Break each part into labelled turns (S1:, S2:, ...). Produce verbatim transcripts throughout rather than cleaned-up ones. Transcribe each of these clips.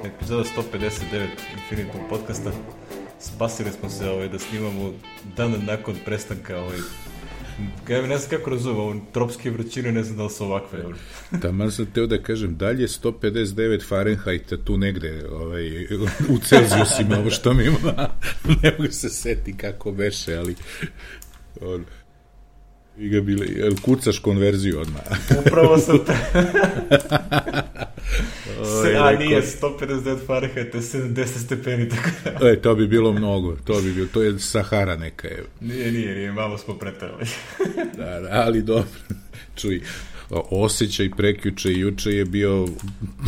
S1: Epizoda sto pedeset devet Infinitum podcasta. Spasili smo se ovaj, da snimamo dan nakon prestanka ovaj, ja ne znam kako razumem, ovo tropske vrućine, ne znam da li su ovakve.
S2: Taman sam teo da kažem, dalje sto pedeset devet Fahrenheita tu negde, ovaj, u Celzijusima, ovo što mi ima, ne mogu se seti kako beše, ali on, i ga bile, jel kucaš konverziju odmah?
S1: Upravo sam te... Se, a nije sto pedeset devet Fahrenheita, sedamdeset stepeni, tako da...
S2: E, to bi bilo mnogo, to bi bilo, to je Sahara neka je.
S1: Nije, nije, nije, malo smo preterali.
S2: Da, da, ali dobro, čuj, osjećaj prekjuče i juče je bio...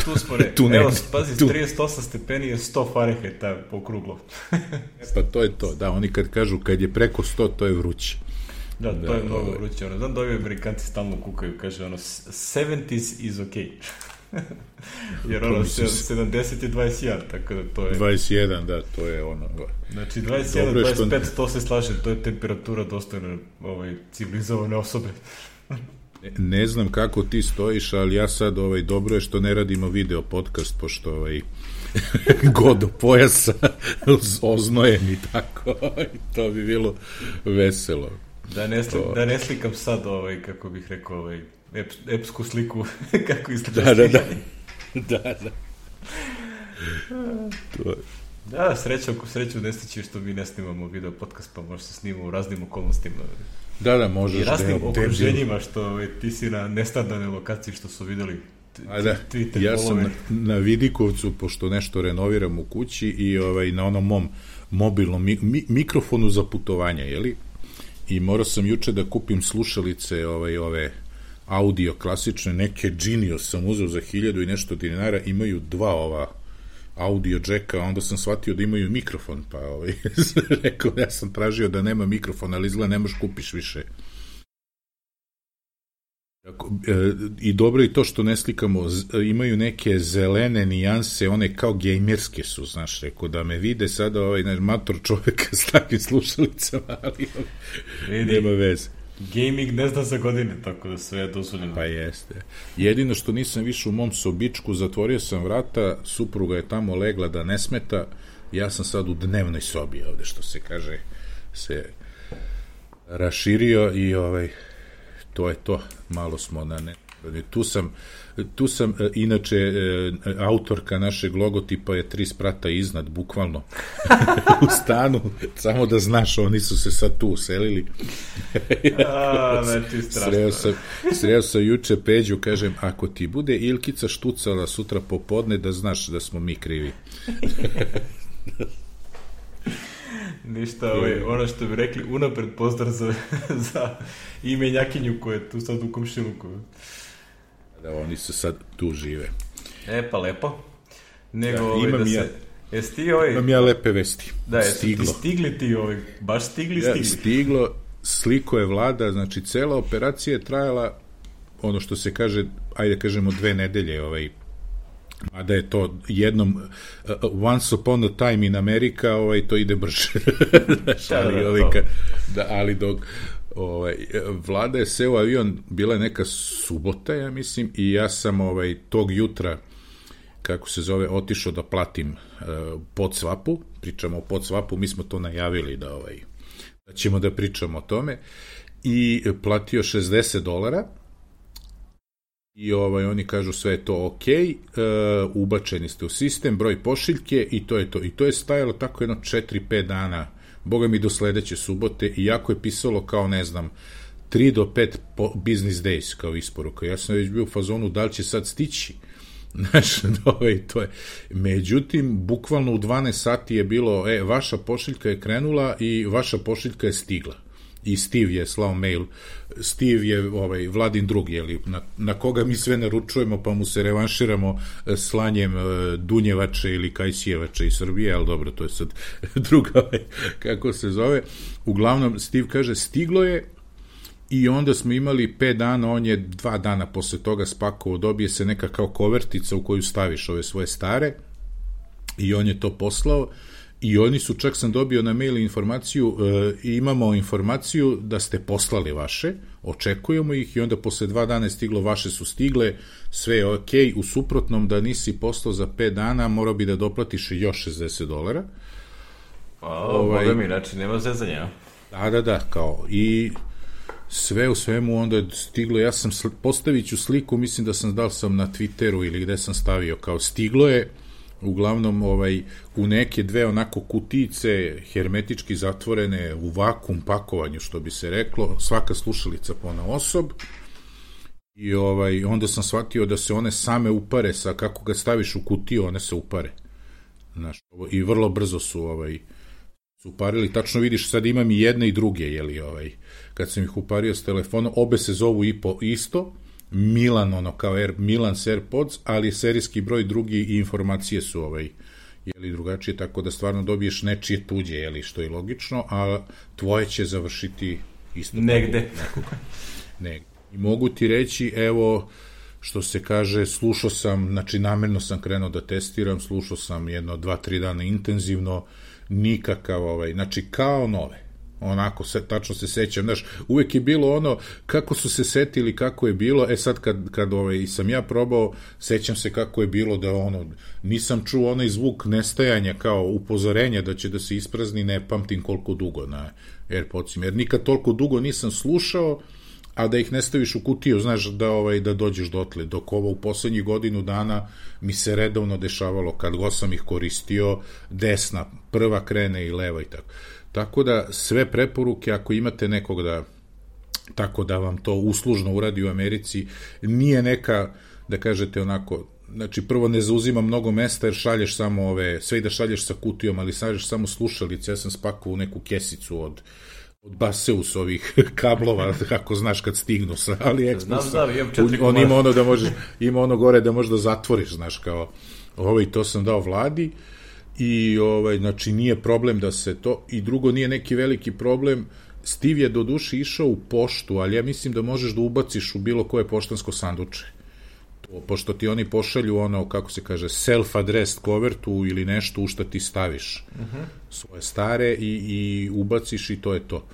S1: Tu smo ne, tu evo, pazi, tu. trideset osam stepeni je sto Fahrenheita okruglo.
S2: Pa to je to, da, oni kad kažu kad je preko sto, to je vruće.
S1: Da, to da, je mnogo vruće, ono, znam da ovi Amerikanci stalno kukaju, kaže ono, sedamdeset is ok. Jer ono, sedamdeset je dvadeset jedan, tako da to je...
S2: dvadeset jedan, da, to je ono...
S1: Znači, dvadeset jedan, dvadeset pet, to se slaže, to je temperatura dostojna ovaj, civilizovane osobe.
S2: Ne znam kako ti stojiš, ali ja sad, ovaj, dobro je što ne radimo video podcast, pošto ovaj, god do pojasa oznojem i tako, to bi bilo veselo.
S1: Da ne, sli, da ne slikam sad, ovaj, kako bih rekao, ovaj, ep, epsku sliku, kako izgleda.
S2: Da, da, da. Da, da. To...
S1: Da, sreća, sreću ne stići što mi ne snimamo video podcast, pa možda se snimamo u raznim okolnostima.
S2: Da, da, možeš.
S1: I raznim okruženjima, što ovaj, ti si na nestandardnoj lokaciji, što su videli.
S2: A da, ja sam na, na Vidikovcu, pošto nešto renoviram u kući i ovaj, na onom mom mobilnom mi, mi, mikrofonu za putovanja, jeli? I morao sam juče da kupim slušalice, ovaj, ove audio klasične, neke Genius sam uzeo za hiljadu i nešto dinara, imaju dva ova audio džeka, onda sam shvatio da imaju mikrofon, pa ovaj, rekao, ja sam tražio da nema mikrofon, ali izgleda ne možeš kupiš više. I dobro je to što ne slikamo, imaju neke zelene nijanse, one kao gejmerske su, znaš, rekao, da me vide sada ovaj mator čoveka s takvim slušalicama, ali
S1: vidi,
S2: nema veze.
S1: Gaming ne zna za godine, tako da sve je dozvoljeno.
S2: Pa jeste. Jedino što nisam više u mom sobičku, zatvorio sam vrata, supruga je tamo legla da ne smeta, ja sam sad u dnevnoj sobi ovde, što se kaže, se raširio i ovaj... to je to, malo smo na ne. Tu sam, tu sam inače, autorka našeg logotipa je tri sprata iznad, bukvalno, u stanu, samo da znaš, oni su se sad tu uselili.
S1: A, znači, strašno.
S2: Sreo sam, sreo sam juče Peđu, kažem, ako ti bude Ilkica štucala sutra popodne, da znaš da smo mi krivi.
S1: Ništa, ovaj, ono što bi rekli, unapred pozdrav za, za imenjakinju koja je tu sad u komšiluku.
S2: Da, oni se sad tu žive.
S1: E, pa lepo. Nego,
S2: ja,
S1: ovaj,
S2: imam,
S1: da
S2: ja,
S1: se, jesi ti, ovaj,
S2: imam ja lepe vesti.
S1: Da, jesi ti stigli ti, ovaj, baš stigli, stigli.
S2: Ja, stiglo, sliko je vlada, znači cela operacija je trajala, ono što se kaže, ajde kažemo dve nedelje, ovaj, a da je to jednom uh, once upon a time in Amerika, ovaj, to ide brže. ali, ovaj, ka, da, ali dok ovaj, vlada je seo avion, bila je neka subota, ja mislim, i ja sam ovaj, tog jutra, kako se zove, otišao da platim uh, podsvapu, pričamo o podsvapu, mi smo to najavili da, ovaj, da ćemo da pričamo o tome, i platio šezdeset dolara, i ovaj, oni kažu sve je to ok, uh, ubačeni ste u sistem, broj pošiljke i to je to. I to je stajalo tako jedno četiri pet dana, boga mi do sledeće subote, i jako je pisalo kao, ne znam, tri do pet business days kao isporuka. Ja sam već bio u fazonu da li će sad stići. Znaš, ovaj, to je. Međutim, bukvalno u dvanaest sati je bilo, e, vaša pošiljka je krenula i vaša pošiljka je stigla. I Steve je slao mail, Steve je ovaj, Vladin drug, jeli, na, na koga mi sve naručujemo, pa mu se revanširamo slanjem Dunjevače ili Kajsijevače iz Srbije, ali dobro, to je sad druga, kako se zove. Uglavnom, Steve kaže, stiglo je, i onda smo imali pet dana, on je dva dana posle toga spakovao, dobije se neka kao kovertica u koju staviš ove svoje stare, i on je to poslao, i oni su, čak sam dobio na mail informaciju, e, imamo informaciju da ste poslali vaše, očekujemo ih i onda posle dva dana je stiglo, vaše su stigle, sve je ok, u suprotnom da nisi poslao za pet dana, morao bi da doplatiš još šezdeset dolara.
S1: O, ovaj, boga mi, znači nema zezanja.
S2: Da, da, da, kao, i sve u svemu onda je stiglo, ja sam, postavit ću sliku, mislim da sam, dal sam na Twitteru ili gde sam stavio, kao stiglo je, uglavnom ovaj, u neke dve onako kutice hermetički zatvorene u vakum pakovanju, što bi se reklo, svaka slušalica ponaosob, i ovaj, onda sam shvatio da se one same upare, sa kako ga staviš u kutiju, one se upare. Znaš, i vrlo brzo su ovaj, su uparili, tačno vidiš, sad imam i jedne i druge, jeli, ovaj, kad sam ih upario s telefonom, obe se zovu i po isto, Milan, ono, kao Air, Milan s AirPods, ali serijski broj drugi i informacije su, ovaj, jeli, drugačije, tako da stvarno dobiješ nečije tuđe, jeli, što je logično, a tvoje će završiti isto.
S1: Negde.
S2: Negde. I mogu ti reći, evo, što se kaže, slušao sam, znači namerno sam krenuo da testiram, slušao sam jedno, dva, tri dana intenzivno, nikakav, ovaj, znači kao nove, onako, se, tačno se sećam, znaš, uvek je bilo ono, kako su se setili, kako je bilo, e sad kad, kad ovaj, sam ja probao, sećam se kako je bilo, da ono, nisam čuo onaj zvuk nestajanja, kao upozorenja da će da se isprazni, ne pamtim koliko dugo na AirPodsima, jer nikad toliko dugo nisam slušao, a da ih ne staviš u kutiju, znaš, da, ovaj, da dođeš dotle, dok ovo u poslednjih godinu dana mi se redovno dešavalo, kad go sam ih koristio, desna, prva krene i leva i tako. Tako da sve preporuke, ako imate nekog da, tako da vam to uslužno uradi u Americi, nije neka, da kažete onako, znači prvo ne zauzima mnogo mesta jer šalješ samo ove, sve i da šalješ sa kutijom, ali šalješ samo slušalice, ja sam spakovao u neku kesicu od od Baseus ovih kablova, kako znaš kad stignu sa AliExpressa. Znam,
S1: znam, imam četiri
S2: on ima ono da možeš, ima ono gore da možeš da zatvoriš, znaš, kao, ovaj, to sam dao Vladi i, ovaj, znači, nije problem da se to, i drugo, nije neki veliki problem, Steve je do duše išao u poštu, ali ja mislim da možeš da ubaciš u bilo koje poštansko sanduče. To, pošto ti oni pošalju ono, kako se kaže, self-addressed covertu ili nešto u što ti staviš uh-huh. svoje stare i, i ubaciš i to je to.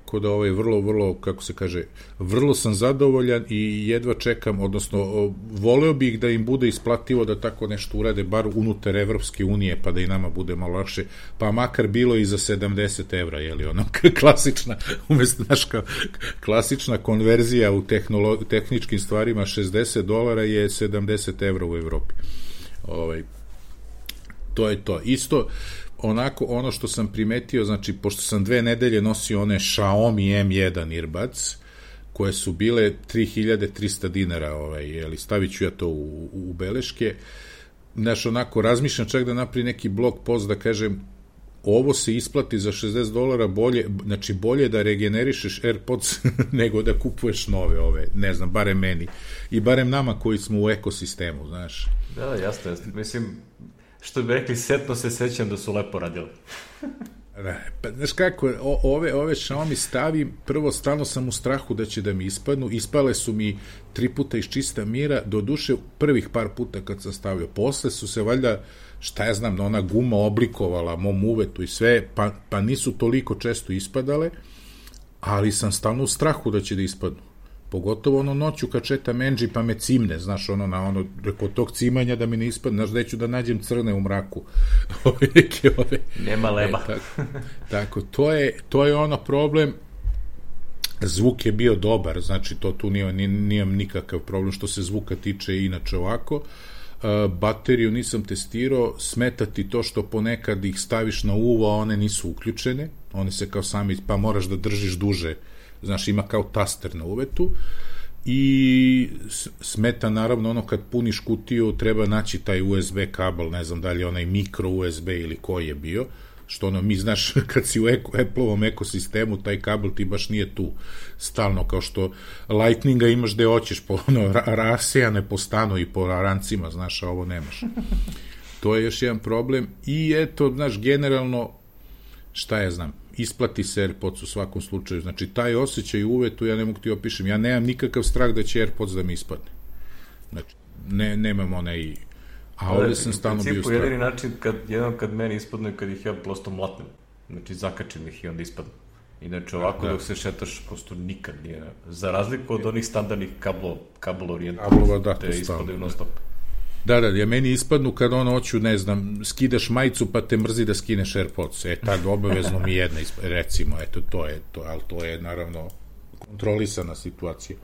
S2: Tako da ovaj vrlo, vrlo, kako se kaže, vrlo sam zadovoljan i jedva čekam, odnosno voleo bih da im bude isplativo da tako nešto urade, bar unutar Evropske unije, pa da i nama bude malo lakše, pa makar bilo i za sedamdeset evra, jeli ono, klasična, umjesto, znaš, klasična konverzija u tehnolo- tehničkim stvarima, šezdeset dolara je sedamdeset evra u Evropi. Ovaj, to je to. Isto, onako, ono što sam primetio, znači, pošto sam dve nedelje nosio one Xiaomi em jedan earbuds, koje su bile tri hiljade trista dinara, ovaj, jeli, stavit ću ja to u, u beleške, znaš, onako, razmišljam čak da napravi neki blog post da kažem, ovo se isplati za šezdeset dolara bolje, znači bolje da regenerišeš AirPods nego da kupuješ nove ove, ne znam, barem meni i barem nama koji smo u ekosistemu, znaš.
S1: Da, jasno, jasno, mislim, što bi rekli, setno se sećam da su lepo radili.
S2: Ne, pa, znaš kako, o, ove, ove Xiaomi stavim, prvo stalno sam u strahu da će da mi ispadnu, ispale su mi tri puta iz čista mira, do duše prvih par puta kad sam stavio, posle su se valjda, šta ja znam, ona guma oblikovala mom uvetu i sve, pa, pa nisu toliko često ispadale, ali sam stalno u strahu da će da ispadnu. Pogotovo ono noću kad četam Enđi pa me cimne, znaš, ono na ono, kod tog cimanja da mi ne ispadne, znaš, da ću da nađem crne u mraku. Ove neke ove...
S1: Nema leba.
S2: E, tako, tako, to je, to je ono problem, zvuk je bio dobar, znači to tu nije, nijem nikakav problem što se zvuka tiče inače ovako. Uh, bateriju nisam testirao, smeta ti to što ponekad ih staviš na uvo, a one nisu uključene, one se kao sami, pa moraš da držiš duže, znaš, ima kao taster na uvetu i smeta naravno ono kad puniš kutiju treba naći taj U S B kabel, ne znam da li je onaj mikro U S B ili koji je bio, što ono mi znaš kad si u Apple-ovom ekosistemu taj kabel ti baš nije tu stalno, kao što Lightninga imaš gde hoćeš po ono rasejane po stanu i po rancima, znaš, a ovo nemaš. To je još jedan problem i eto, znaš, generalno šta ja znam, isplati se AirPods u svakom slučaju, znači taj osjećaj uvetu ja ne mogu ti opišem, ja nemam nikakav strah da će AirPods da mi ispadne, znači ne, nemam onaj, A ovdje sam stalno bio
S1: u
S2: strahu.
S1: jedini način, kad, jedan kad meni ispadnu je kad ih ja prosto mlatnem. Znači, zakačim ih i onda ispadnu. Inače, ovako da. Dok se šetaš, prosto nikad nije. Za razliku od onih standardnih kablo, kablo orijentova,
S2: da,
S1: te ispadaju non stop.
S2: Da, da, ja meni ispadnu kad ono hoću, ne znam, skidaš majicu pa te mrzi da skineš AirPods. E, tad obavezno mi jedna ispadne, recimo, eto, to je to, ali to je, naravno, kontrolisana situacija.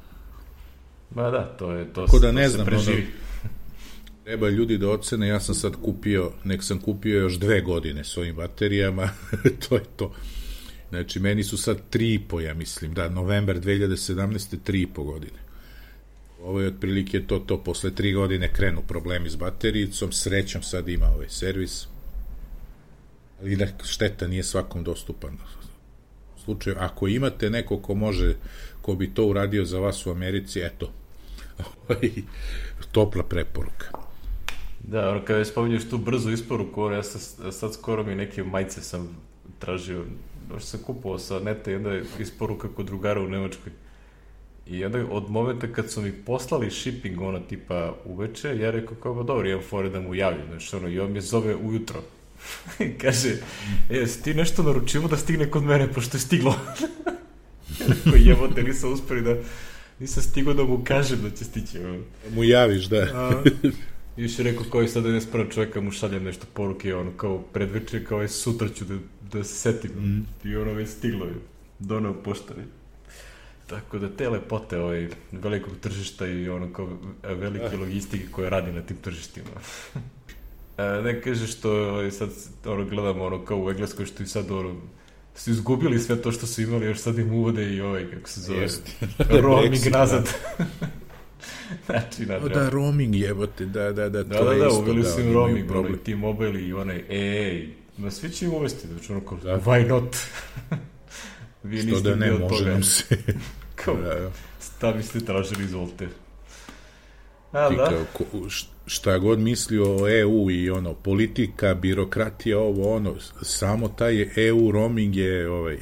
S1: Ba da, to je, to,
S2: Tako da,
S1: to
S2: ne
S1: se
S2: znam,
S1: preživi.
S2: Ono, treba ljudi da ocene, ja sam sad kupio, nek sam kupio još dve godine s ovim baterijama, to je to. Znači, meni su sad tri i po, ja mislim, da, novembar dve hiljade sedamnaeste. tri i po godine. Ovo je otprilike to, to, posle tri godine krenu problemi s baterijicom, srećom sad ima ovaj servis, ali da šteta nije svakom dostupan. U slučaju, ako imate neko ko može, ko bi to uradio za vas u Americi, eto, topla preporuka.
S1: Da, ono, kada spominješ tu brzu isporuku, ono, ja sad, sad skoro mi neke majice sam tražio, što sam kupovao sa neta i onda je isporuka kod drugara u Nemačkoj. I onda od momenta kad su mi poslali shipping, ono, tipa uveče, ja rekao kao, ba dobro, imam fore da mu javim, znači, ono, i on me zove ujutro. Kaže, e, si ti nešto naručivo da stigne kod mene, pošto je stiglo. Rekao, jebote, nisam uspeli da, nisam stigao da mu kažem da će stići. Ono.
S2: Mu javiš, da.
S1: A, i još je rekao, kao i sad da ne spravo čovjeka mu šaljem nešto poruke, ono, kao predveče, kao je sutra ću da, da se setim. Mm. I ono već stiglo je, donao poštari. Tako da te lepote ovaj, velikog tržišta i ono kao velike logistike koje radi na tim tržištima. A, ne kaže što ovaj, sad ono, gledamo ono, kao u Engleskoj što i sad ono, su izgubili sve to što su imali, još sad im uvode i ovaj, kako se zove, roaming nazad. Znači,
S2: o, da, roaming jebote, da, da, da, to
S1: da, da,
S2: je
S1: da,
S2: isto.
S1: uveli
S2: Da,
S1: su im roaming, onaj T-Mobile i onaj, ej, ma svi će im uvesti, znači ono kao, da. Why not? Vi
S2: što da ne, može
S1: toga.
S2: nam se.
S1: Kao,
S2: da, da.
S1: Stavi ste tražili, izvolite. A,
S2: Ti
S1: da.
S2: kao, šta god mislio o E U i ono, politika, birokratija, ovo, ono, samo taj E U roaming je, ovaj,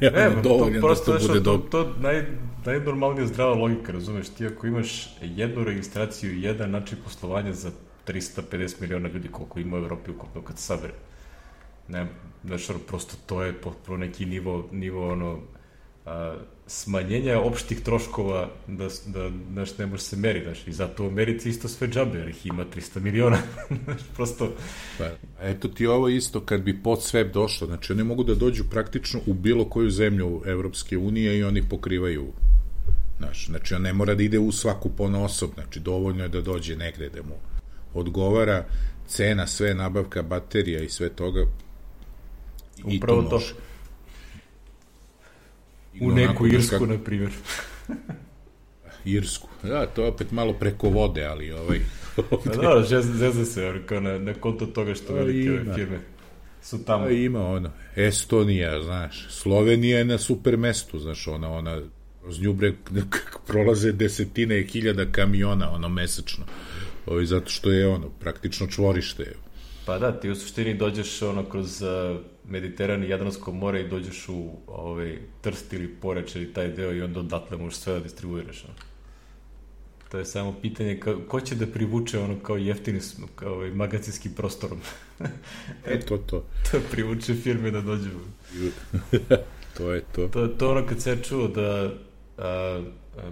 S1: ne,
S2: dovoljan
S1: to,
S2: da to bude
S1: to,
S2: dobro.
S1: To naj, najnormalnija zdrava logika, razumeš, ti ako imaš jednu registraciju i jedan način poslovanja za trista pedeset miliona ljudi koliko ima u Evropi ukupno kad se sabere. Ne, znaš, prosto to je potpuno neki nivo, nivo ono, a, smanjenja opštih troškova da, da znaš, ne može se meri, znaš, i zato u Americi isto sve džabe, jer ih ima trista miliona, znaš, prosto...
S2: Pa, eto ti ovo isto, kad bi pod sve došlo, znači oni mogu da dođu praktično u bilo koju zemlju Evropske unije i oni pokrivaju, znaš, znači on ne mora da ide u svaku ponaosob, znači dovoljno je da dođe negde da mu odgovara cena, sve, nabavka baterija i sve toga. I
S1: upravo
S2: to,
S1: to. U neku Irsku, kako... na primjer.
S2: Irsku. Da, to je opet malo preko vode, ali ovaj...
S1: Da, da, zezda se, kao na, na konto toga što velike ove firme su tamo.
S2: A ima ono, Estonija, znaš, Slovenija je na super mestu, znaš, ona, ona, uz nju bre, prolaze desetine hiljada kamiona, ono, mesečno. Ovaj, zato što je, ono, praktično čvorište.
S1: Pa da, ti u suštini dođeš, ono, kroz... Uh, Mediteran i Jadransko more i dođeš u ovaj, Trst ili Poreč ili taj deo i onda odatle možeš sve da distribuiraš. No? To je samo pitanje ka, ko će da privuče ono kao jeftini kao ovaj, magacinski prostorom.
S2: E, to, to.
S1: To privuče firme da dođu.
S2: To je to.
S1: To, to ono kad se ja čuo da a,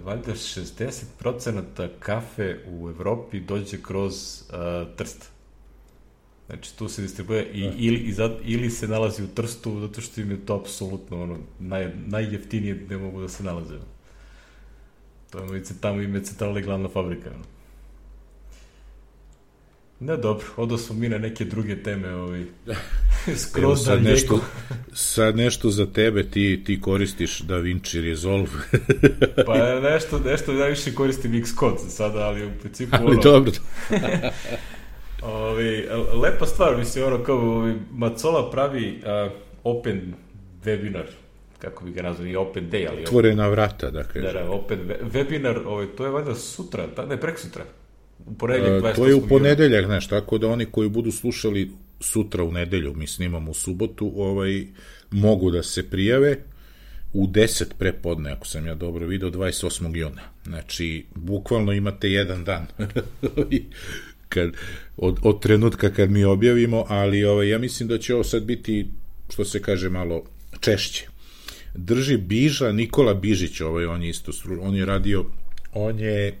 S1: valjda šezdeset procenata kafe u Evropi dođe kroz a, Trst. Znači, tu se distribuuje i, ili, i zad, ili se nalazi u Trstu, zato što im je to apsolutno ono, naj, najjeftinije gde mogu da se nalaze. To je tamo im je centralna i glavna fabrika. Ono. Ne, dobro, odo smo mi na neke druge teme. Ovaj. Skroz
S2: sad, nešto, sad nešto za tebe, ti, ti koristiš DaVinci Resolve.
S1: Pa nešto, nešto najviše koristim Xcode sada, ali u principu...
S2: Ali
S1: ono,
S2: dobro.
S1: Ovi, lepa stvar, mislim, ono kao ovi, Macola pravi uh, open webinar, kako bi ga nazvali, open day, ali...
S2: Otvorena vrata, da kažem.
S1: Da, da, open webinar, ovaj, to je valjda sutra, ta, ne, prek sutra. U ponedeljak,
S2: uh, to je u ponedeljak, znaš, tako da oni koji budu slušali sutra u nedelju, mi snimamo u subotu, ovaj, mogu da se prijave u deset prepodne, ako sam ja dobro video, dvadeset osmog juna. Znači, bukvalno imate jedan dan. kad, od, od trenutka kad mi objavimo, ali ovaj, ja mislim da će ovo sad biti, što se kaže, malo češće. Drži Biža, Nikola Bižić, ovaj, on je isto, on je radio, on je,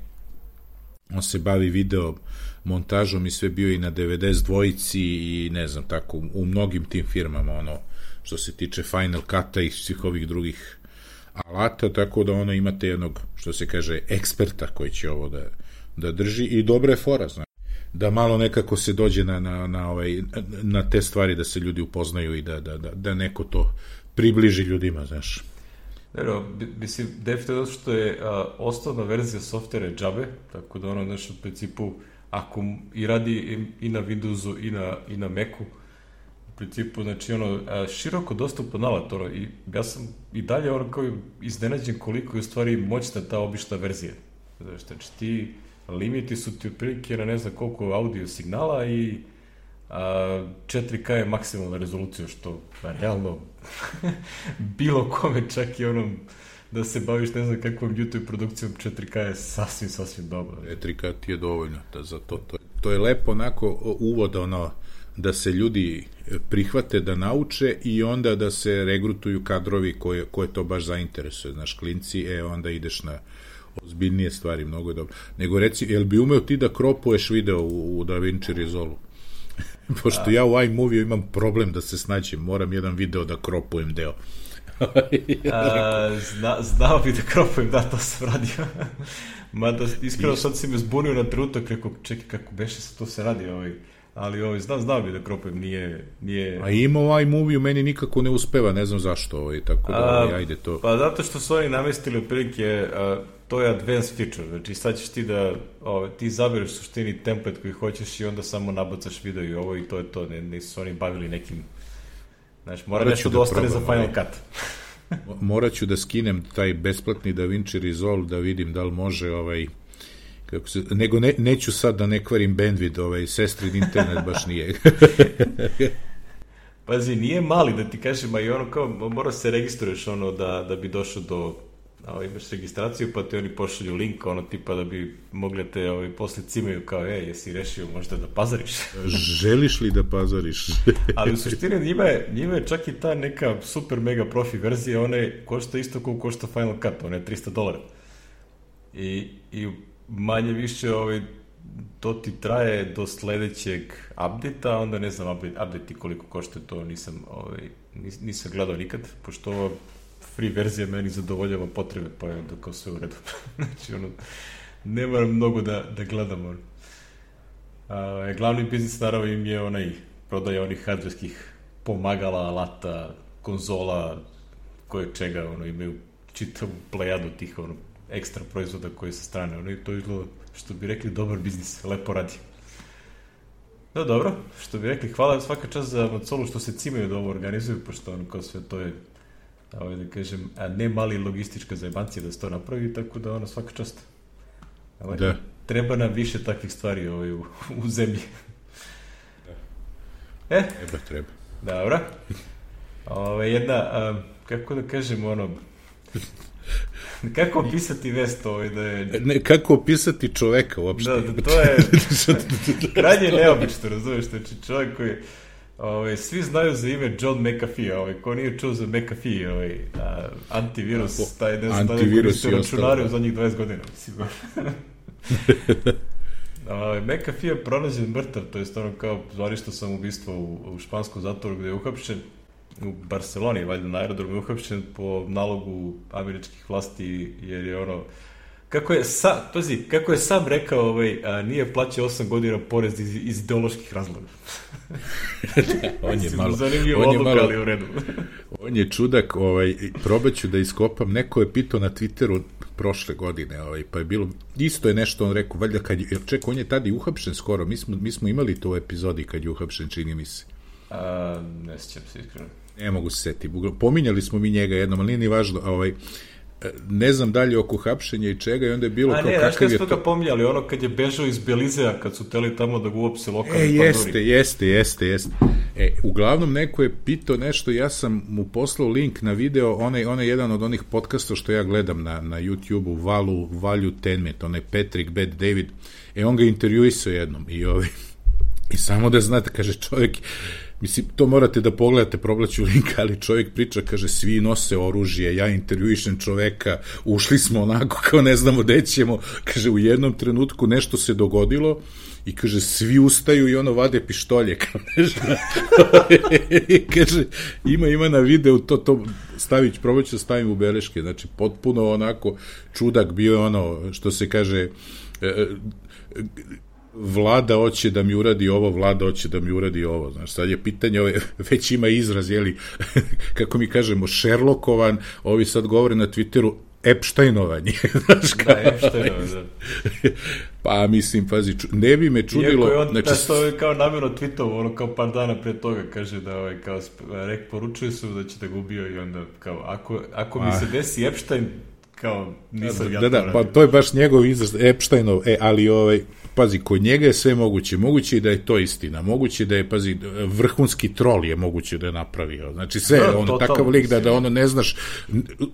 S2: on se bavi video montažom i sve bio i na devedeset dvojici i ne znam, tako, u mnogim tim firmama, ono, što se tiče Final Cut-a i svih ovih drugih alata, tako da ono imate jednog, što se kaže, eksperta koji će ovo da, da drži i dobra je fora, znači, da malo nekako se dođe na, na, na, ovaj, na te stvari, da se ljudi upoznaju i da, da, da, da neko to približi ljudima, znaš.
S1: Dobro, mislim, definitivno što je a, osnovna verzija softvera je džabe, tako da ono, znaš, u principu, ako i radi i, i na Windowsu i na, i na Macu, u principu, znači, ono, a, široko dostupan alat, ono, i ja sam i dalje, ono, kao iznenađen koliko je u stvari moćna ta obična verzija. Znači, znači, ti limiti su ti otprilike na ne znam koliko audio signala i a, četiri K je maksimalna rezolucija, što realno bilo kome, čak i onom da se baviš ne znam kakvom YouTube produkcijom, četiri K je sasvim, sasvim dobro.
S2: četiri K ti je dovoljno da za to, to, to je lepo onako uvod, ono, da se ljudi prihvate, da nauče i onda da se regrutuju kadrovi koje, koje to baš zainteresuje, znaš, klinci, e, onda ideš na ozbiljnije stvari, mnogo je dobro. Nego reci, jel bi umeo ti da kropuješ video u, u DaVinci Resolve? Pošto a, ja u iMovie imam problem da se snađem, moram jedan video da kropujem deo.
S1: a, zna, znao bi da kropujem, da, to sam radio. Mada, iskreno sad si me zbunio na trenutak, rekao, čekaj, kako beše se to se radi, ovaj. Ali ovaj, znao, znao bi da kropujem, nije... nije...
S2: A ima u iMovie, meni nikako ne uspeva, ne znam zašto, ovaj, tako da, ovaj, ajde to...
S1: Pa zato što su oni namestili otprilike, to je advanced feature, znači sad ćeš ti da, ovaj, ti zabereš suštini template koji hoćeš i onda samo nabacaš video i ovo i to je to, ne, nisu oni bavili nekim, znači mora morat nešto da ostane za Final Cut.
S2: Morat ću da skinem taj besplatni DaVinci Resolve da vidim da li može, ovaj, kako se, nego ne, neću sad da ne kvarim bandwidth, ovaj, sestrin internet baš nije.
S1: Pazi, nije mali, da ti kažem, a i ono kao, mora se registruješ ono da, da bi došao do, a, imaš registraciju, pa ti oni pošalju link, ono tipa da bi mogli te ovaj, posle cimaju kao, e, jesi rešio možda da pazariš?
S2: Želiš li da pazariš?
S1: Ali u suštini njima je, njima je čak i ta neka super mega profi verzija, ona je, košta isto kao košta Final Cut, ona je tristo dolara. I, i manje više ovaj, to ti traje do sledećeg update-a, onda ne znam update, update koliko košta, to nisam, ovaj, nis, nisam gledao nikad, pošto ova free verzija meni zadovoljava potrebe, pa je da kao sve u redu. Znači, ono, ne moram mnogo da, da gledam. Ono. A, glavni biznis naravno im je onaj prodaja onih hardverskih pomagala, alata, konzola, koje čega, ono, imaju čitavu plejadu tih, ono, ekstra proizvoda koji sa strane, ono, i to izgleda, što bi rekli, dobar biznis, lepo radi. No dobro, što bi rekli, hvala svaka čast za Macolu što se cimaju da ovo organizuju, pošto ono kao sve to je, ovaj, da kažem, a ne mali logistička zajebancija da se to napravi, tako da ono svaka čast. Ovaj, da. Treba nam više takvih stvari ovaj, u, u zemlji.
S2: Da.
S1: E?
S2: Treba, treba.
S1: Dobro. Ove, jedna, a, kako da kažem, ono, kako opisati vest ovaj da je...
S2: Ne, kako opisati čoveka uopšte?
S1: Da, da, to je krajnje neobično, razumeš, znači čovjek koji, ovaj, svi znaju za ime John McAfee, ovaj, ko nije čuo za McAfee, ovaj, a, antivirus, a, taj ne znam, antivirus taj računari u zadnjih dvadeset godina, sigurno. ovaj, McAfee je pronađen mrtav, to je stvarno kao zvanično samoubistvo u, u španskom zatvoru gde je uhapšen, u Barceloni, valjda na aerodromu je uhapšen po nalogu američkih vlasti, jer je ono, kako je sam, pazi, kako je sam rekao, ovaj, a, nije plaćao osam godina porez iz, iz ideoloških razloga.
S2: On je malo,
S1: zanimljivo odluka, ali u redu.
S2: On je čudak, ovaj, probaću da iskopam, neko je pitao na Twitteru prošle godine, ovaj, pa je bilo, isto je nešto on rekao, valjda kad je, ček, on je tada i uhapšen skoro, mi smo, mi smo imali to u epizodi kad je uhapšen, čini mi se.
S1: A, ne sjećam se iskreno.
S2: Ne mogu se setiti. Pominjali smo mi njega jednom, ali nije ni važno. Ovaj, ne znam dalje oko hapšenja i čega i onda je bilo
S1: a
S2: kao
S1: ne,
S2: kakav je
S1: to... A ne, znaš pominjali, ono kad je bežao iz Belizea, kad su teli tamo da ga uopse lokalni
S2: e,
S1: panduri.
S2: Jeste, jeste, jeste, jeste. E, uglavnom neko je pitao nešto, ja sam mu poslao link na video, onaj, onaj jedan od onih podcasta što ja gledam na, na YouTube-u, Valu, Value Tenmet, onaj Patrick Bet David, e, on ga intervjuisao jednom i ovaj, i samo da znate, kaže čovjek, mislim, to morate da pogledate, proglaću link, ali čovjek priča, kaže, svi nose oružje, ja intervjuišem čoveka, ušli smo onako kao ne znamo gde ćemo, kaže, u jednom trenutku nešto se dogodilo i kaže, svi ustaju i ono vade pištolje, kao nešto. Kaže, ima, ima na videu, to, to stavić, probaću da stavim u beleške, znači, potpuno onako čudak bio je ono, što se kaže, e, Vlada hoće da mi uradi ovo, Vlada hoće da mi uradi ovo, znaš, sad je pitanje, ove, već ima izraz, jeli, kako mi kažemo, Sherlockovan, ovi sad govore na Twitteru, Epsteinovanje, znaš, kao,
S1: da, Epsteinovanje, da.
S2: Pa, mislim, pazi, ču, ne bi me čudilo...
S1: Iako je on,
S2: znači,
S1: da, to je kao namjerno tweetovo, ono kao par dana pre toga, kaže da, ovaj, kao, rek, poručuju su da će da ga ubio i onda, kao, ako, ako mi se desi Epstein, kao, nisam ja
S2: da,
S1: to
S2: da, pa to je baš njegov izraz, Epsteinov, e, ali, ovaj, pazi, kod njega je sve moguće, moguće i da je to istina, moguće da je, pazi, vrhunski trol je moguće da je napravio, znači sve, da, ono, takav lik da, da ono ne znaš,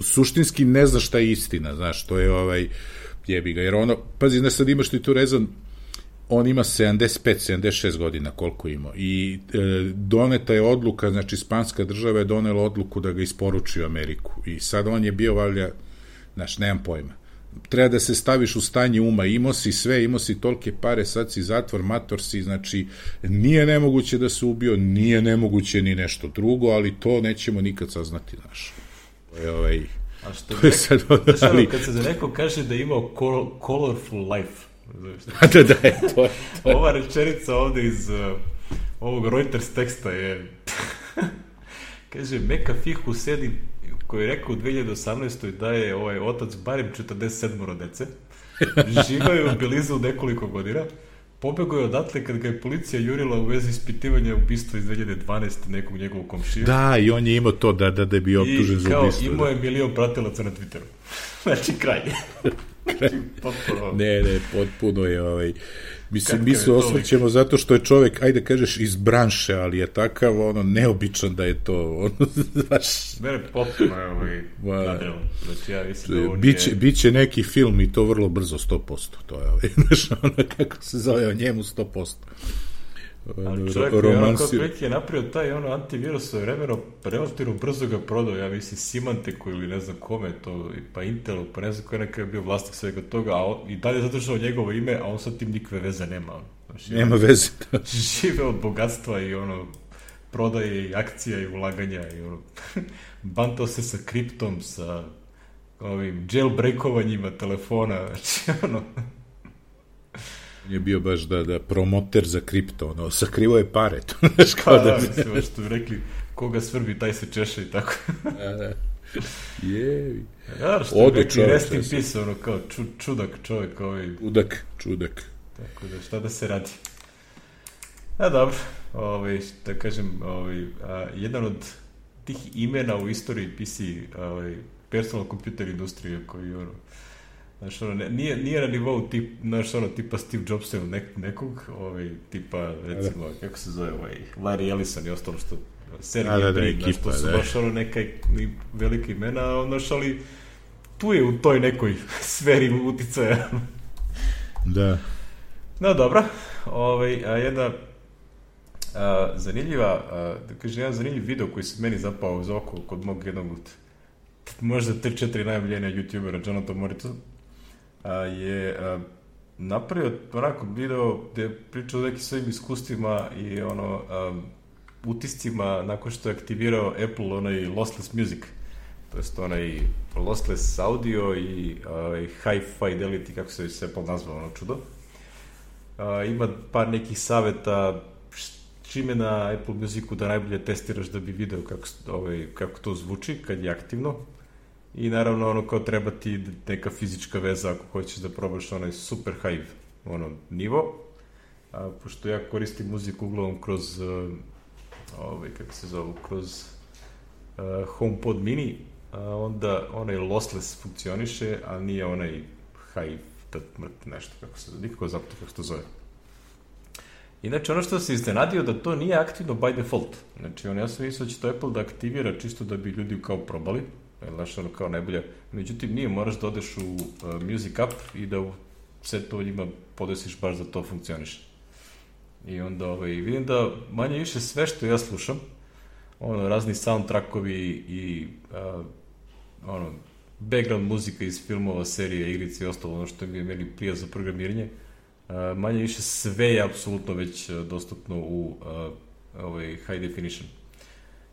S2: suštinski ne znaš šta je istina, znaš, to je, ovaj, jebi ga, jer ono, pazi, ne sad imaš ti tu rezon, on ima sedamdeset pet sedamdeset šest godina koliko ima i e, doneta je odluka, znači Španska država je donela odluku da ga isporuči u Ameriku i sad on je bio valjda, znaš, nemam pojma, treba da se staviš u stanje uma, imao si sve, imao si tolike pare, sad si zatvor, mator si, znači nije nemoguće da se ubio, nije nemoguće ni nešto drugo, ali to nećemo nikad saznati, znaš. To je ovaj...
S1: A što je sad, znaš, ali... kad se za neko kaže da je imao colorful life,
S2: da, da, je, to je, to je.
S1: Ova rečenica ovde iz uh, ovog Reuters teksta je kaže, Meka Fih Husedi, koji je rekao u dve hiljade osamnaestoj da je ovaj otac barem četrdeset sedam dece, živao je u Belizu nekoliko godina, pobegao je odatle kad ga je policija jurila u vezi ispitivanja ubistva iz dve hiljade dvanaeste nekog njegovog komšija.
S2: Da, i on je imao to da, da, da je bio optužen za ubistvo.
S1: I kao imao je milion pratilaca na Twitteru. Znači, kraj. Znači, potpuno...
S2: Ne, ne, potpuno je ovaj... Mislim, mi se osvrćemo zato što je čovek, ajde kažeš, iz branše, ali je takav, ono, neobičan da je to, ono, znaš...
S1: Mene potpuno je ovaj nadrelo. Znači, ja mislim da on
S2: biće,
S1: je...
S2: Biće neki film i to vrlo brzo, sto posto, to je ovaj, znaš, ono, kako se zove o njemu, sto posto.
S1: Ali čovjek je ono kao prilike je napravio taj ono antivirus svoje vremeno, relativno brzo ga prodao, ja mislim Symantec ili ne znam kome to, pa Intelu, pa ne znam ko je nekada bio vlasnik svega toga, a on, i dalje zadržao njegovo ime, a on sad tim nikve veze nema. Znači,
S2: nema veze. Da.
S1: Žive od bogatstva i ono, prodaje i akcija i ulaganja i ono, bantao se sa kriptom, sa ovim jailbreakovanjima telefona, znači ono...
S2: je bio baš da, da promoter za kripto, ono, sakrivo je pare, to znaš kao
S1: da...
S2: da...
S1: Da, mislim, što bi rekli, koga svrbi, taj se češa i tako.
S2: Da, da. Jevi.
S1: Ja, što bi rekli, rest in peace, ono, kao ču, čudak čovjek, ovaj...
S2: Čudak, čudak.
S1: Tako da, šta da se radi? A, dobro, ovaj, da kažem, ovaj, a, jedan od tih imena u istoriji P C, ovaj, personal computer industrije, koji, ono, znaš, ono, ne, nije, nije na nivou tip, znaš, ono, tipa Steve Jobsa ili nek, nekog, ovaj, tipa, recimo, da. Kako se zove, ovaj, Larry Ellison i ostalo što, Sergej
S2: da, da,
S1: Brin, znaš, to su da. Baš, ono, neka velika imena, znaš, ali tu je u toj nekoj sferi uticaja.
S2: Da.
S1: No, dobro, ovaj, a jedna a, zanimljiva, a, da kažem, jedan zanimljiv video koji se meni zapao uz oko kod mog jednog od možda tri četiri najomiljenija youtubera, Jonathan Morito, a, je a, napravio onako video gde je pričao o nekim svojim iskustvima i ono a, utiscima nakon što je aktivirao Apple onaj lossless music, to jest onaj lossless audio i a, high fidelity, kako se već Apple nazvao, ono čudo. A, ima par nekih saveta čime na Apple Musicu da najbolje testiraš da bi video kako, ovaj, kako to zvuči kad je aktivno. I naravno ono kao treba ti neka fizička veza ako hoćeš da probaš onaj super high ono, nivo. A, pošto ja koristim muziku uglavnom kroz uh, ovaj, kako se zove, kroz uh, HomePod mini, a onda onaj lossless funkcioniše, a nije onaj high nešto, kako se, nikako zapamti kako se to zove. Inače, ono što se iznenadio da to nije aktivno by default. Znači, on, ja sam mislio da će to Apple da aktivira čisto da bi ljudi kao probali, znaš, ono kao najbolje. Međutim, nije, moraš da odeš u uh, Music App i da u sve to njima podesiš baš da to funkcioniše. I onda ovaj, vidim da manje više sve što ja slušam, ono, razni soundtrackovi i uh, ono, background muzika iz filmova, serije, igrice i ostalo, ono što mi je meni prija za programiranje, uh, manje više sve je apsolutno već uh, dostupno u uh, ovaj high definition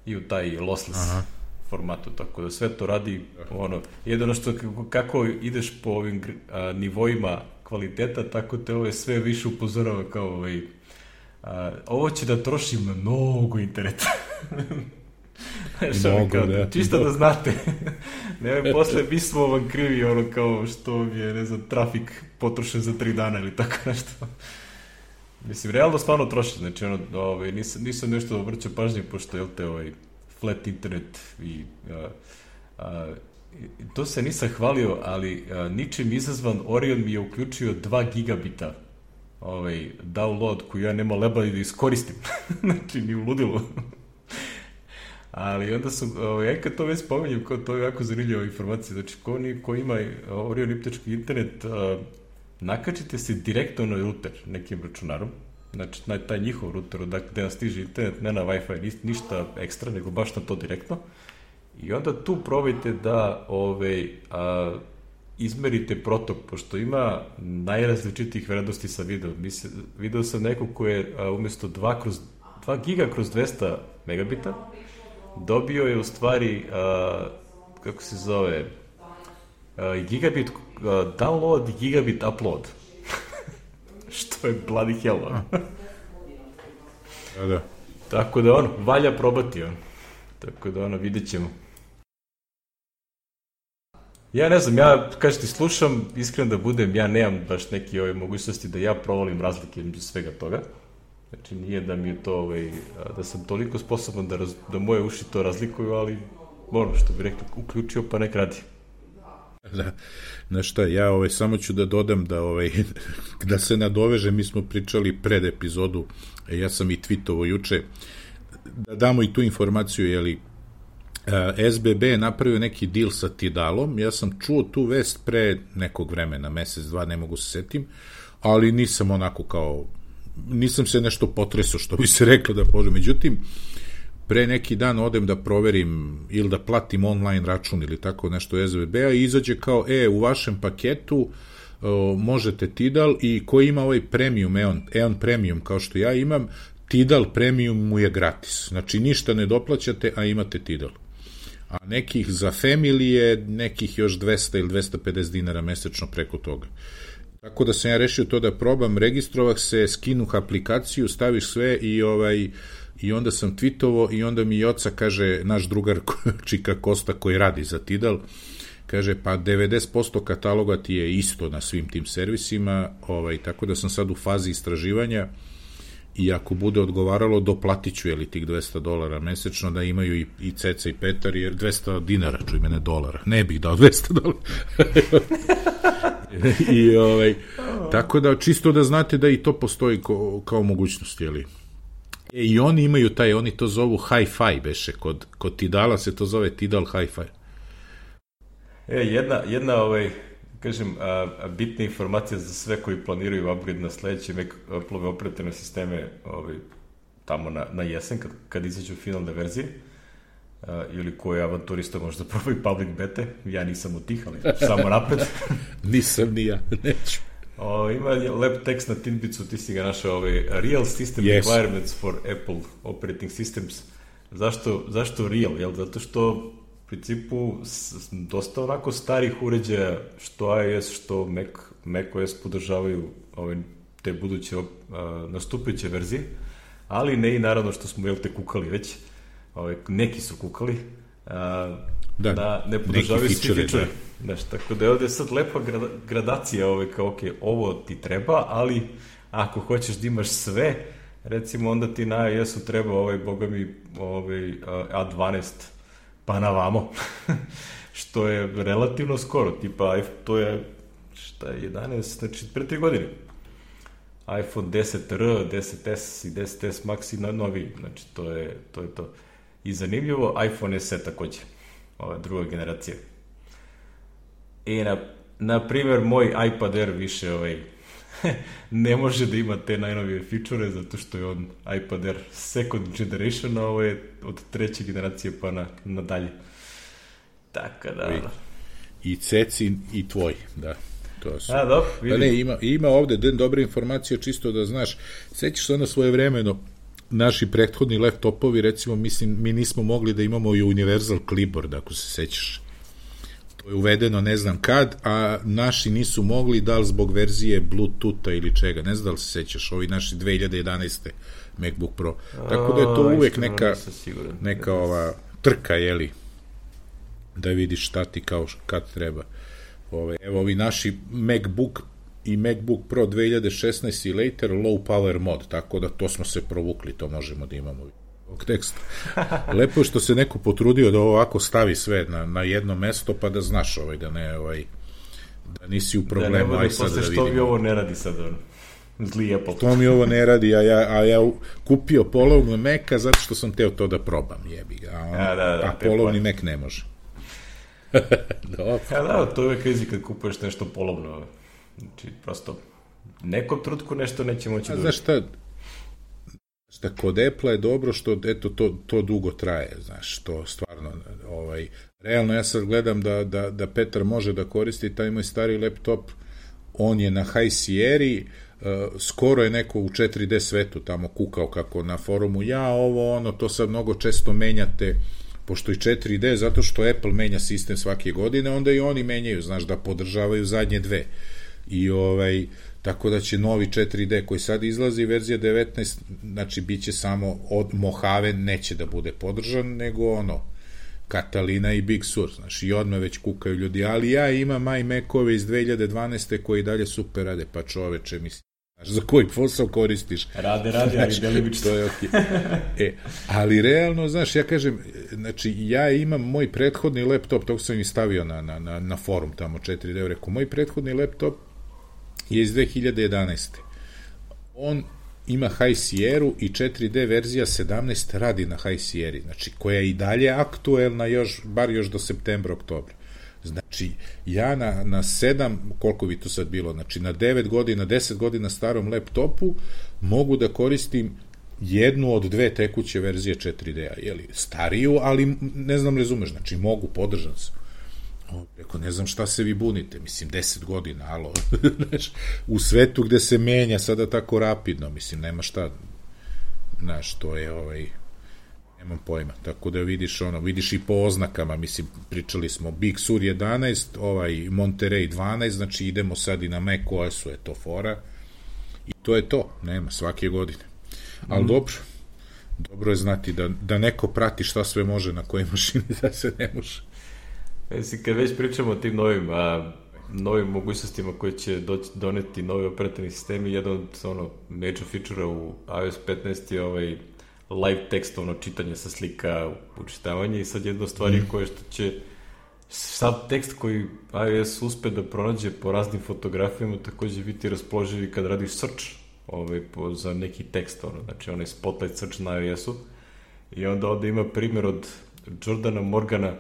S1: i u taj lossless Aha. formatu, tako da sve to radi ono, jedino što kako, kako ideš po ovim uh, nivoima kvaliteta, tako te ovo sve više upozorava kao ovaj, uh, ovo će da troši mnogo interneta. Mnogo, kao, da. Čisto da znate. Ne, posle mi smo vam krivi ono kao što je, ne znam, trafik potrošen za tri dana ili tako nešto. Mislim, realno stvarno troši, znači ono, ovaj, nisam, nisam nešto obraćao pažnje, pošto je te ovaj flat internet i a, a, to se nisam hvalio, ali a, ničim izazvan Orion mi je uključio dva gigabita ovaj, download koju ja nema leba da iskoristim. Znači, ni u ludilu. Ali onda sam, ja kad to već spominjem, to je jako zanimljiva informacija, znači ko, ni, ko ima Orion iptečki internet, a, nakačite se direktno na router nekim računarom, znači na taj njihov router, dakle gde nam stiže internet, ne na Wi-Fi, ništa ekstra, nego baš na to direktno, i onda tu probajte da ove, a, izmerite protok, pošto ima najrazličitih vrednosti sa video. Mislim, video sam neko ko je a, umjesto dva giga kroz dvesta megabita, dobio je u stvari, a, kako se zove, a, gigabit a, download i gigabit upload. Što je bloody hell, ono.
S2: Da, da.
S1: Tako da, ono, valja probati, ono. Tako da, ono, vidjet ćemo. Ja ne znam, ja, kažem ti, slušam, iskreno da budem, ja nemam baš neke ove mogućnosti da ja provalim razlike između svega toga. Znači, nije da mi je to, ovaj, da sam toliko sposoban da, raz, da moje uši to razlikuju, ali, ono, što bi rekli, uključio pa nek radi.
S2: Da, znaš šta, ja ovaj, samo ću da dodam da, ovaj, da se nadoveže, mi smo pričali pred epizodu, ja sam i tweetovo juče, da damo i tu informaciju, jeli, S B B je napravio neki deal sa Tidalom, ja sam čuo tu vest pre nekog vremena, mesec, dva, ne mogu se setim, ali nisam onako kao, nisam se nešto potresao, što bi se reklo da pođe, međutim, pre neki dan odem da proverim ili da platim online račun ili tako nešto S B B-a i izađe kao, e, u vašem paketu o, možete Tidal i ko ima ovaj premium, Eon, Eon premium kao što ja imam, Tidal premium mu je gratis. Znači, ništa ne doplaćate, a imate Tidal. A nekih za family je nekih još dvesta ili dvesta pedeset dinara mesečno preko toga. Tako da sam ja rešio to da probam, registrovah se, skinuh aplikaciju, staviš sve i ovaj... I onda sam tweetovo i onda mi Joca kaže, naš drugar Čika Kosta koji radi za Tidal, kaže pa devedeset posto kataloga ti je isto na svim tim servisima, ovaj, tako da sam sad u fazi istraživanja i ako bude odgovaralo doplatit ću jeli tih dvesta dolara mesečno da imaju i, i Ceca i Petar, jer dvesta dinara, čuj mene, dolara, ne bih dao dvesta dolara. I ovaj, tako da čisto da znate da i to postoji ko, kao mogućnost, jeli. E, i oni imaju taj, oni to zovu Hi-Fi, beše, kod, kod Tidala se to zove Tidal Hi-Fi.
S1: E, jedna, jedna ovaj, kažem, a, a bitna informacija za sve koji planiraju upgrade na sledeće Apple-ove operativne sisteme ovaj, tamo na, na jesen, kad, kad izađu finalne verzije, a, ili koje avanturista možda probaju public bete, ja nisam od tih, ali samo napred.
S2: Nisam ni ja, neću.
S1: O, ima lep tekst na Tinbicu, ti si ga našao, ovaj, Real System
S2: yes.
S1: Requirements for Apple Operating Systems. Zašto, zašto real? Jel? Zato što u principu s, dosta onako starih uređaja, što iOS, što Mac, macOS podržavaju ove, te buduće uh, nastupajuće verzije, ali ne i naravno što smo jel te kukali već, ove, neki su kukali, uh, da, da ne podržavaju svi feature. Znaš, tako da je ovde sad lepa gradacija, ove, kao, ok, ovo ti treba, ali ako hoćeš da imaš sve, recimo, onda ti na iOS-u treba, ovaj, boga mi, ovaj, A dvanaest, pa na vamo. što je relativno skoro, tipa to je šta je jedanaest, znači pre tri godine. iPhone deset R, deset S i deset S Max i na novi, znači to je to. Je to. I zanimljivo, iPhone S E takođe, ova druga generacija. I na, na primjer, moj iPad Air više ovaj, ne može da ima te najnovije feature, zato što je on iPad Air second generation, a ovo je od treće generacije pa na, nadalje. Tako da...
S2: I Cecin i tvoj, da. To su.
S1: A, dobro, vidim.
S2: Da ne, ima, ima ovde den dobre informacije, čisto da znaš, sećaš se ono svoje vremeno, naši prethodni laptopovi, recimo, mislim, mi nismo mogli da imamo i Universal Clipboard, ako se sećaš. To je uvedeno ne znam kad, a naši nisu mogli, da li zbog verzije Bluetootha ili čega, ne znam da li se sećaš, ovi naši dve hiljade jedanaeste MacBook Pro. Tako da je to uvek neka, neka ova trka, jeli, da vidiš šta ti kao kad treba. Ove, evo ovi naši MacBook i MacBook Pro dve hiljade šesnaeste i later low power mod, tako da to smo se provukli, to možemo da imamo ovog teksta. Lepo je što se neko potrudio da ovako stavi sve na, na jedno mesto, pa da znaš ovaj, da ne ovaj, da nisi u problemu. Da ne bude posle da
S1: što mi ovo ne radi sad on. Zli Apple.
S2: To mi ovo ne radi, a ja, a ja kupio polovnu Maca zato što sam teo to da probam, jebi ga. A, on, a, da, da, a polovni Mac ne može.
S1: Dobro. Ja, da, to je uvek krizi kad kupuješ nešto polovno. Znači, prosto, nekom trutku nešto neće moći da...
S2: Znaš šta, šta, kod Apple je dobro što, eto, to, to dugo traje, znaš, to stvarno, ovaj, realno ja sad gledam da, da, da Petar može da koristi taj moj stari laptop, on je na High Sierra, uh, skoro je neko u četiri D svetu tamo kukao kako na forumu, ja, ovo, ono, to sad mnogo često menjate, pošto i četiri D, zato što Apple menja sistem svake godine, onda i oni menjaju, znaš, da podržavaju zadnje dve. I ovaj, tako da će novi četiri D koji sad izlazi, verzija devetnaest, znači bit će samo od Mojave, neće da bude podržan, nego ono, Catalina i Big Sur, znaš, i odmah već kukaju ljudi, ali ja imam iMac-ove iz dve hiljade dvanaeste koji dalje super rade, pa čoveče, mislim, znaš, za koji posao koristiš?
S1: Rade, rade, ali delimično.
S2: To je okej. E, ali realno, znaš, ja kažem, znači, ja imam moj prethodni laptop, tog sam i stavio na, na, na, na forum tamo četiri D, rekao, moj prethodni laptop je iz dve hiljade jedanaeste. On ima High Sierra i četiri D verzija sedamnaest radi na High Sierra, znači, koja je i dalje aktuelna još, bar još do septembra, oktobra. Znači, ja na, na sedam, koliko bi to sad bilo, znači na devet godina, deset godina starom laptopu mogu da koristim jednu od dve tekuće verzije četiri D-a, jeli, stariju, ali ne znam, razumeš, znači mogu, podržan sam. O, reko, ne znam šta se vi bunite, mislim, deset godina, alo, znaš, u svetu gde se menja sada tako rapidno, mislim, nema šta, znaš, to je ovaj... nemam pojma, tako da vidiš ono, vidiš i po oznakama, mislim, pričali smo Big Sur jedanaest, ovaj Monterey dvanaest, znači idemo sad i na macOS-u, je to fora, i to je to, nema, svake godine. Ali mm. dobro, dobro je znati da, da neko prati šta sve može na kojoj mašini, da se ne može.
S1: Mislim, kad već pričamo o tim novim, a, novim mogućnostima koje će doći, doneti novi operativni sistemi, jedan od ono, major feature-a u iOS petnaest je ovaj live tekstovno čitanje sa slika, učitavanje, i sad jedna stvar mm. koja što će sad tekst koji iOS uspe da pronađe po raznim fotografijama takođe biti raspoloživi kad radiš search ovaj, po, za neki tekst, ono, znači onaj spotlight search na iOS-u, i onda ovde ima primjer od Jordana Morgana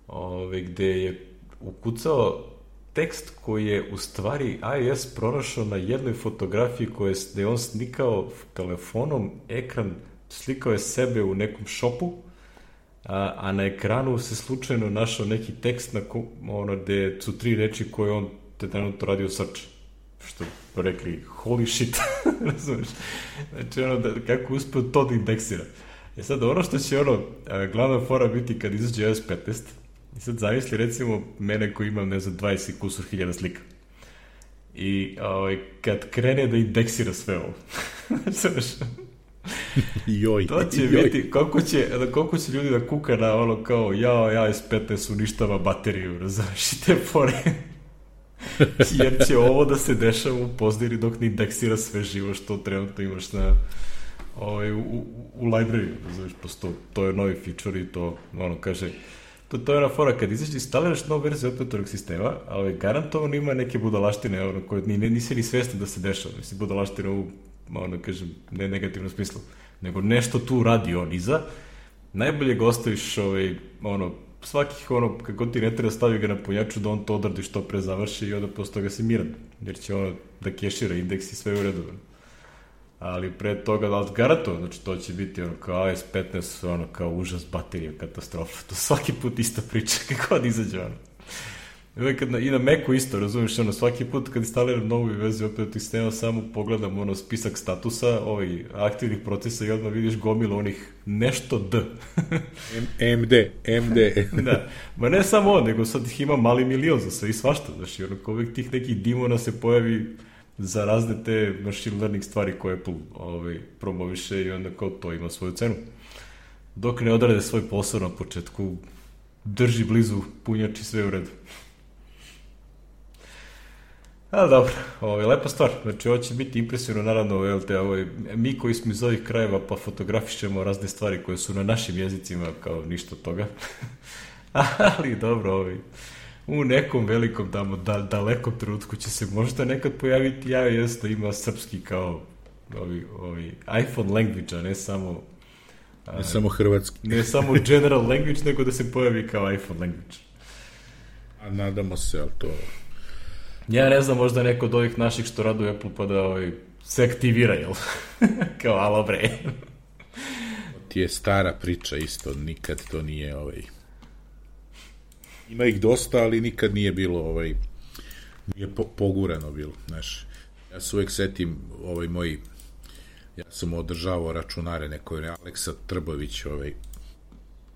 S1: ovaj, gde je ukucao tekst koji je u stvari iOS pronašao na jednoj fotografiji koje je on slikao telefonom, ekran, slikao je sebe u nekom šopu, a, a na ekranu se slučajno našao neki tekst na ko, ono, gde su tri reči koje on te trenutno radio search. Što rekli, holy shit, razumiješ? Znači, ono, da, kako uspeo to da indeksira. E sad, ono što će, ono, glavna fora biti kad izađe iOS petnaest, i sad zamisli, recimo, mene koji imam, ne znam, dvadeset kusur hiljada slika. I ovaj, kad krene da indeksira sve ovo, znaš,
S2: joj,
S1: to će
S2: joj.
S1: biti, koliko će, koliko će ljudi da kuka na ono kao, ja, ja, iOS petnaest uništava bateriju, razumiješ, i te fore. Jer će ovo da se dešava u pozdiri dok ne indeksira sve živo što trenutno imaš na, ovaj, u, u, u library, razumiješ, posto, to je novi feature i to, ono, kaže, to, to je ona fora, kad izađe, instaliraš novu verziju operatornog sistema, ali garantovano ima neke budalaštine, ono, koje ni, nisi ni svestan da se dešava, mislim, budalaštine u, ono, kažem, ne negativnom smislu, nego nešto tu radi on iza, najbolje ga ostaviš, ovaj, ono, svakih, ono, kako ti ne treba stavi ga na punjaču da on to odradi što pre završi i onda posle toga si miran, jer će ono da kešira indeks i sve u redu. Ali pre toga, ali garantovano, znači to će biti ono kao A S petnaest, ono kao užas baterija, katastrofa, to svaki put ista priča, kako god izađe ono. Kad na, i na Macu isto, razumiješ, ono, svaki put kad instaliram novu verziju operativnog sistema, samo pogledam ono spisak statusa, ovaj, aktivnih procesa i odmah vidiš gomilu onih nešto D.
S2: M D, M D.
S1: Da, ma ne samo on, nego sad ih ima mali milion za sve i svašta, znači, ono, kao uvijek tih nekih dimona se pojavi za razne te machine learning stvari koje Apple ovaj, promoviše i onda kao to ima svoju cenu. Dok ne odrade svoj posao na početku, drži blizu punjači, sve u redu. A dobro, ovo je lepa stvar, znači ovo će biti impresivno, naravno, jel te, ovo je, mi koji smo iz ovih krajeva pa fotografišemo razne stvari koje su na našim jezicima, kao ništa od toga, ali dobro, ovaj, u nekom velikom, tamo, da, dalekom trenutku će se možda nekad pojaviti ja jest da ima srpski kao ovi, ovi iPhone language, a ne samo
S2: a, ne samo hrvatski,
S1: ne samo general language, nego da se pojavi kao iPhone language.
S2: A nadamo se, ali to...
S1: Ja ne znam, možda neko od ovih naših što radu u Apple pa da ovaj, se aktivira, jel? Kao, alo bre.
S2: Ti je stara priča isto, nikad to nije ovaj... Ima ih dosta, ali nikad nije bilo ovaj... Nije po, pogurano bilo, znaš. Ja se uvek setim ovaj moj... Ja sam održavao računare nekoj, Aleksa Trbović, ovaj...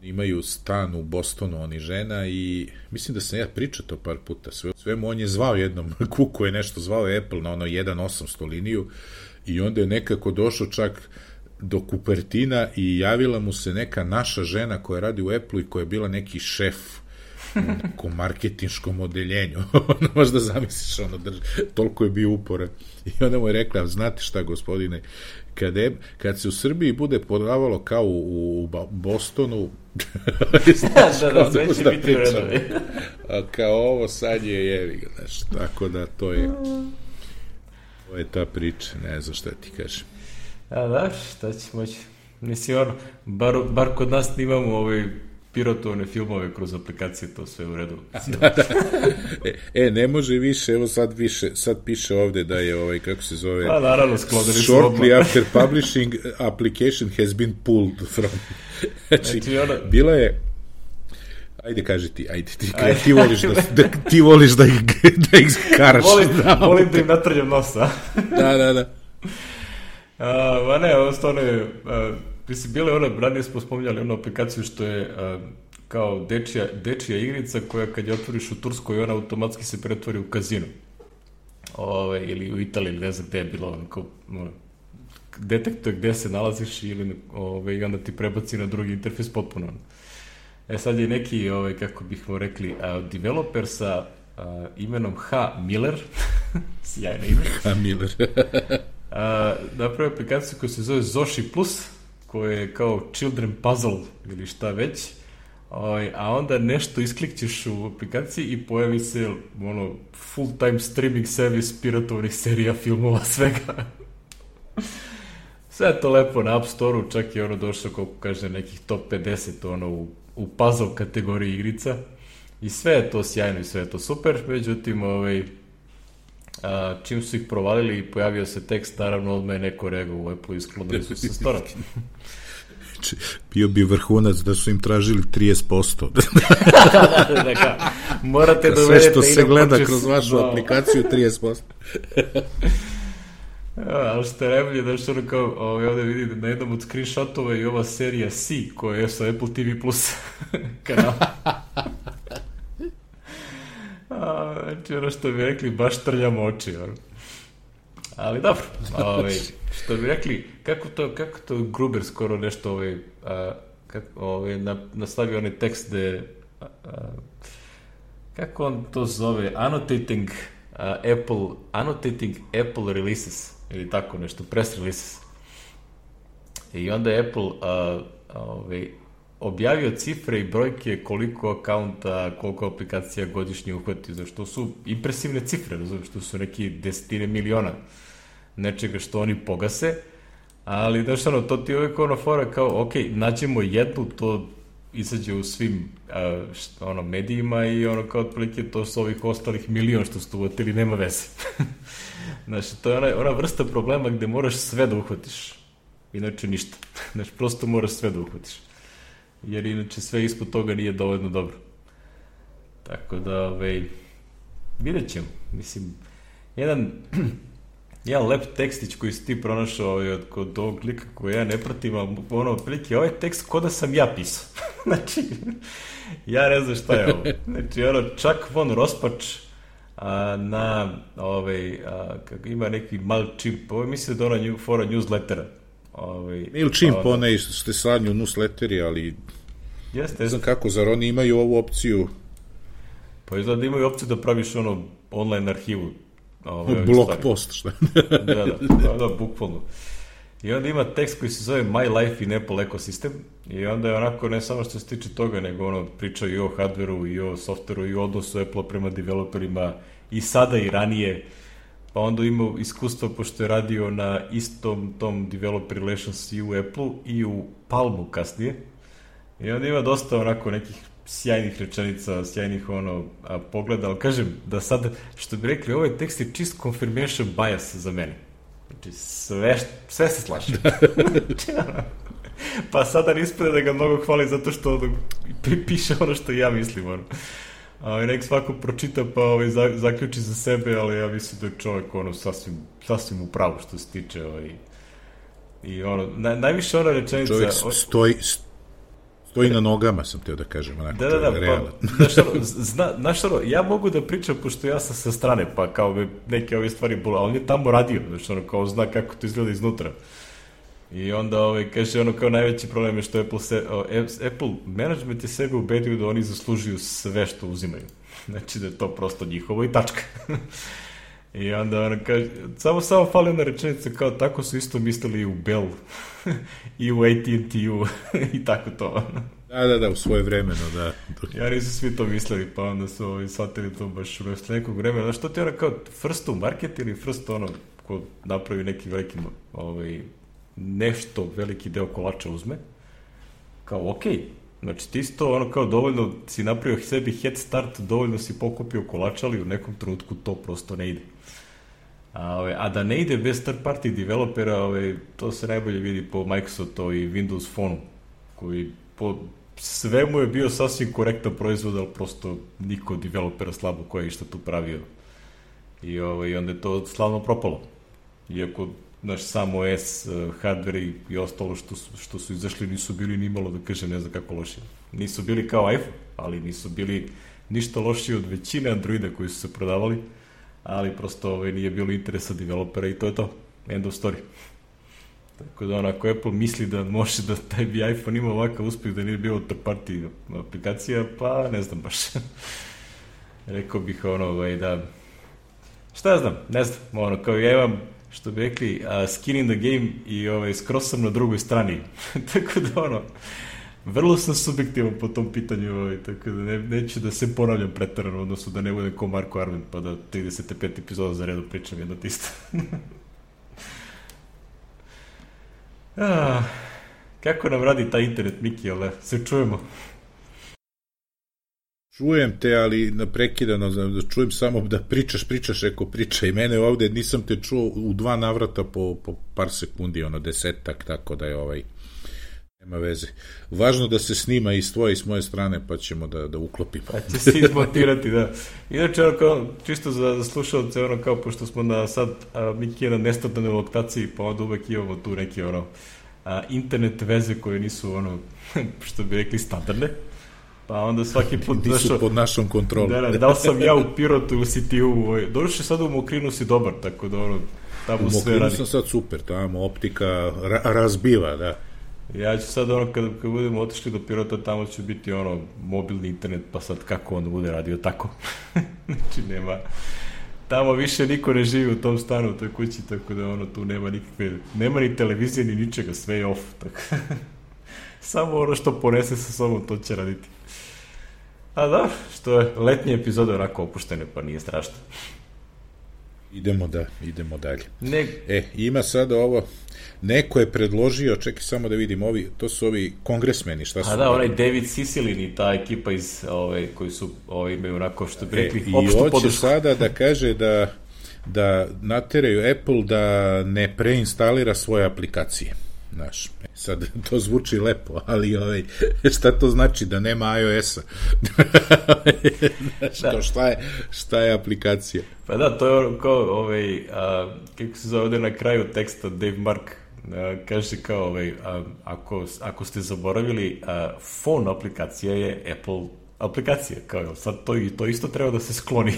S2: Imaju stan u Bostonu, oni žena, i mislim da sam ja pričao to par puta. Sve, svemu on je zvao jednom, Kuku je nešto zvao Apple na ono jedan osamsto liniju i onda je nekako došao čak do Kupertina i javila mu se neka naša žena koja radi u Apple i koja je bila neki šef u nekom marketinškom odeljenju. Ono, možda zamisliš, ono, drž... toliko je bio uporan. I onda mu je rekla, znate šta, gospodine, kad, je, kad se u Srbiji bude prodavalo kao u, u Bostonu,
S1: znaš, da, da, sve će biti vredovi.
S2: A kao ovo sad je jevi, znaš, tako da to je to je ta priča, ne znam šta ti kažem.
S1: A da, šta će moći? Mislim, ono, bar, bar kod nas imamo ovaj pirotovne filmove kroz aplikacije, to sve u redu.
S2: Da, da. E, e, ne može više, evo sad više, sad piše ovde da je ovaj, kako se zove,
S1: a, naravno,
S2: shortly after publishing, application has been pulled from. Znači, znači ona... bila je, ajde kaži ti, ajde ti, ajde. ti voliš da, da, ti voliš da ih, da ih karaš.
S1: Volim, volim da im natrljam nosa.
S2: Da, da, da.
S1: A, ma ne, ovo stvarno je, a, mislim, bile ona, ranije smo spominjali onu aplikaciju što je a, kao dečija, dečija igrica koja kad je otvoriš u Turskoj, ona automatski se pretvori u kazino. Ove, ili u Italiji, ne znam gde je bilo, ono, kao, ono, detektuje gde se nalaziš ili ove, i onda ti prebaci na drugi interfejs potpuno. E sad je neki, ove, kako bih mu rekli, a, developer sa a, imenom H. Miller, sjajno ime.
S2: H. Miller.
S1: a, napravio aplikaciju koja se zove Zoshi Plus, koja je kao children puzzle ili šta već, ove, a onda nešto isklikćeš u aplikaciji i pojavi se ono, full time streaming service piratovnih serija, filmova, svega. Sve je to lepo na App Store-u, čak je ono došlo, koliko kaže, nekih top pedeset ono, u, u puzzle kategoriji igrica. I sve je to sjajno i sve je to super, međutim, ovaj, a, čim su ih provalili i pojavio se tekst, naravno odmah je neko reagao u Apple i sklonili su se stora.
S2: Bio bi vrhunac da su im tražili trideset posto.
S1: da, da, da, da, morate da
S2: sve što se gleda počes... kroz vašu no. aplikaciju, trideset posto.
S1: Ja, ali što je najbolje, da što ono kao, ovaj, ovdje vidite na jednom od screenshotova i ova serija C, koja je sa Apple T V Plus kanal. A, znači, ono što bi rekli, baš trljamo oči. Ono. Ali dobro, ovaj, što bi rekli, kako to, kako to Gruber skoro nešto ovaj, a, kako, ovaj, na, nastavio onaj tekst gde, a, a, kako on to zove, annotating uh, Apple, annotating Apple releases, ili tako nešto, press releases. I onda je Apple uh, ovaj, objavio cifre i brojke koliko akaunta, koliko aplikacija godišnje uhvati, zašto su impresivne cifre, razumiješ, što su neki desetine miliona nečega što oni pogase, ali znaš ono, to ti je uvijek ono fora kao, ok, nađemo jednu, to izađe u svim a, što, ono, medijima i ono kao otprilike to su ovih ostalih milion što su uvotili, nema veze. Znači, to je ona, ona vrsta problema gde moraš sve da uhvatiš, inače ništa. Znači, prosto moraš sve da uhvatiš, jer inače sve ispod toga nije dovoljno dobro. Tako da, ovaj, vidjet ćemo. Mislim, jedan, jedan lep tekstić koji si ti pronašao ovaj, od kod ovog lika koji ja ne pratim, ali ono, otprilike, ovaj tekst ko da sam ja pisao. Znači, ja ne znam šta je ovo. Znači, ono, Chuck von Rospač a, na, ovaj, a, kako ima neki MailChimp, ovo mislim da je ona fora newslettera. Ovaj,
S2: MailChimp, ono, one što ste slanju newsletteri, ali
S1: jeste,
S2: ne znam kako, zar oni imaju ovu opciju?
S1: Pa izgleda da imaju opciju da praviš ono online arhivu.
S2: Ovaj, blog post, šta?
S1: da, da, da, da, bukvalno. I onda ima tekst koji se zove My Life in Apple Ecosystem i onda je onako ne samo što se tiče toga, nego ono priča i o hardveru i o softveru i o odnosu Apple prema developerima i sada i ranije. Pa onda ima iskustva pošto je radio na istom tom developer relations i u Apple-u i u Palmu kasnije. I onda ima dosta onako nekih sjajnih rečenica, sjajnih ono, a, pogleda, ali kažem da sad, što bi rekli, ovaj tekst je čist confirmation bias za mene. Znači, sve, sve se slaže. Pa sada ispred da ga mnogo hvali zato što ono, piše ono što ja mislim, ono. A nek svako pročita pa ovaj, zaključi za sebe, ali ja mislim da je čovjek ono, sasvim, sasvim u pravu što se tiče ovaj, i ono, na, najviše ona rečenica...
S2: Čovjek stoji, stoji na nogama, sam teo da kažem, onako,
S1: da, da, da, pa, znaš, ono, zna, znaš, ono, ja mogu da pričam, pošto ja sam sa strane, pa kao me neke ove stvari bole, a on je tamo radio, znaš, ono, kao zna kako to izgleda iznutra. I onda ovaj, kaže ono kao najveći problem je što Apple, se, o, Apple management je sebe ubedio da oni zaslužuju sve što uzimaju. Znači da je to prosto njihovo i tačka. I onda ono kaže, samo samo fali ona rečenica kao tako su isto mislili i u Bell i u A T and T-u i tako to.
S2: Da, da, da, u svoje vremeno, da.
S1: Ja nisu svi to mislili, pa onda su ovaj, shvatili to baš u nekog vremena. Znaš, što ti ono kao first to market ili first ono ko napravi neki veliki ovaj, nešto veliki deo kolača uzme, kao okej, okay. Znači ti si to ono kao dovoljno si napravio sebi head start, dovoljno si pokupio kolača, ali u nekom trenutku to prosto ne ide. A, ove, a da ne ide bez third party developera, ove, to se najbolje vidi po Microsoftu i Windows Phone, koji po svemu je bio sasvim korektan proizvod, ali prosto niko developera slabo koji je išta tu pravio. I, ove, i onda je to slavno propalo. Iako naš sam O S, uh, hardware i, i ostalo što su, što su izašli nisu bili ni malo, da kažem, ne znam kako loši. Nisu bili kao iPhone, ali nisu bili ništa lošiji od većine Androida koji su se prodavali, ali prosto ovaj, nije bilo interesa developera i to je to. End of story. Tako da onako Apple misli da može da taj bi iPhone ima ovakav uspjeh da nije bilo third party aplikacija, pa ne znam baš. Rekao bih ono ovaj, da šta ja znam, ne znam, ono kao ja imam što bi rekli, uh, skin in the game i ovaj, skroz sam na drugoj strani. Tako da, ono, vrlo sam subjektivan po tom pitanju, ovaj, tako da ne, neću da se ponavljam pretarano, odnosno da ne budem ko Marko Arment, pa da trideset pet epizoda za redu pričam jedno tisto. ah, kako nam radi taj internet, Miki, ali se čujemo?
S2: Čujem te, ali naprekidano, da čujem samo da pričaš, pričaš, eko priča i mene ovde nisam te čuo u dva navrata po, po par sekundi, ono desetak, tako da je ovaj, nema veze. Važno da se snima i s tvoje i s moje strane, pa ćemo da, da uklopimo.
S1: Pa će se izmontirati, da. Inače, ono kao, čisto za, za slušalce, ono kao, pošto smo na sad, a, Miki je na nestandardnoj lokaciji, pa onda uvek imamo tu neke, ono, a, internet veze koje nisu, ono, što bi rekli, standardne. Pa onda svaki put...
S2: Nisu dašo, pod našom kontrolom.
S1: Da, da, da li sam ja u Pirotu ili si ti u... Doduše sad u Mokrinu si dobar, tako da ono, tamo sve radi. U Mokrinu
S2: sam sad super, tamo optika ra- razbiva, da.
S1: Ja ću sad ono, kad, kad budemo otišli do Pirota, tamo će biti ono, mobilni internet, pa sad kako onda bude radio tako. Znači nema... Tamo više niko ne živi u tom stanu, u toj kući, tako da ono, tu nema nikakve... Nema ni televizije, ni ničega, sve je off, tako Samo ono što ponese sa sobom, to će raditi. A da, što je letnje epizode onako opuštene, pa nije strašno.
S2: Idemo da, idemo dalje.
S1: Ne...
S2: E, ima sada ovo, neko je predložio, čekaj samo da vidim, ovi, to su ovi kongresmeni, šta su?
S1: A da, onaj David Cicilline i ta ekipa iz, ove, koji su, ove, imaju onako, što bi rekli,
S2: e,
S1: opštu podršku.
S2: I hoće sada da kaže da, da nateraju Apple da ne preinstalira svoje aplikacije. Znaš, sad to zvuči lepo, ali ovaj, šta to znači da nema iOS-a? Znaš, da. To šta je, šta je aplikacija?
S1: Pa da, to je ono kao, ovaj, a, kako se zove ovde na kraju teksta Dave Mark, a, kaže kao, ovaj, a, ako, ako ste zaboravili, a, phone aplikacija je Apple aplikacija, kao sad to, to isto treba da se skloni.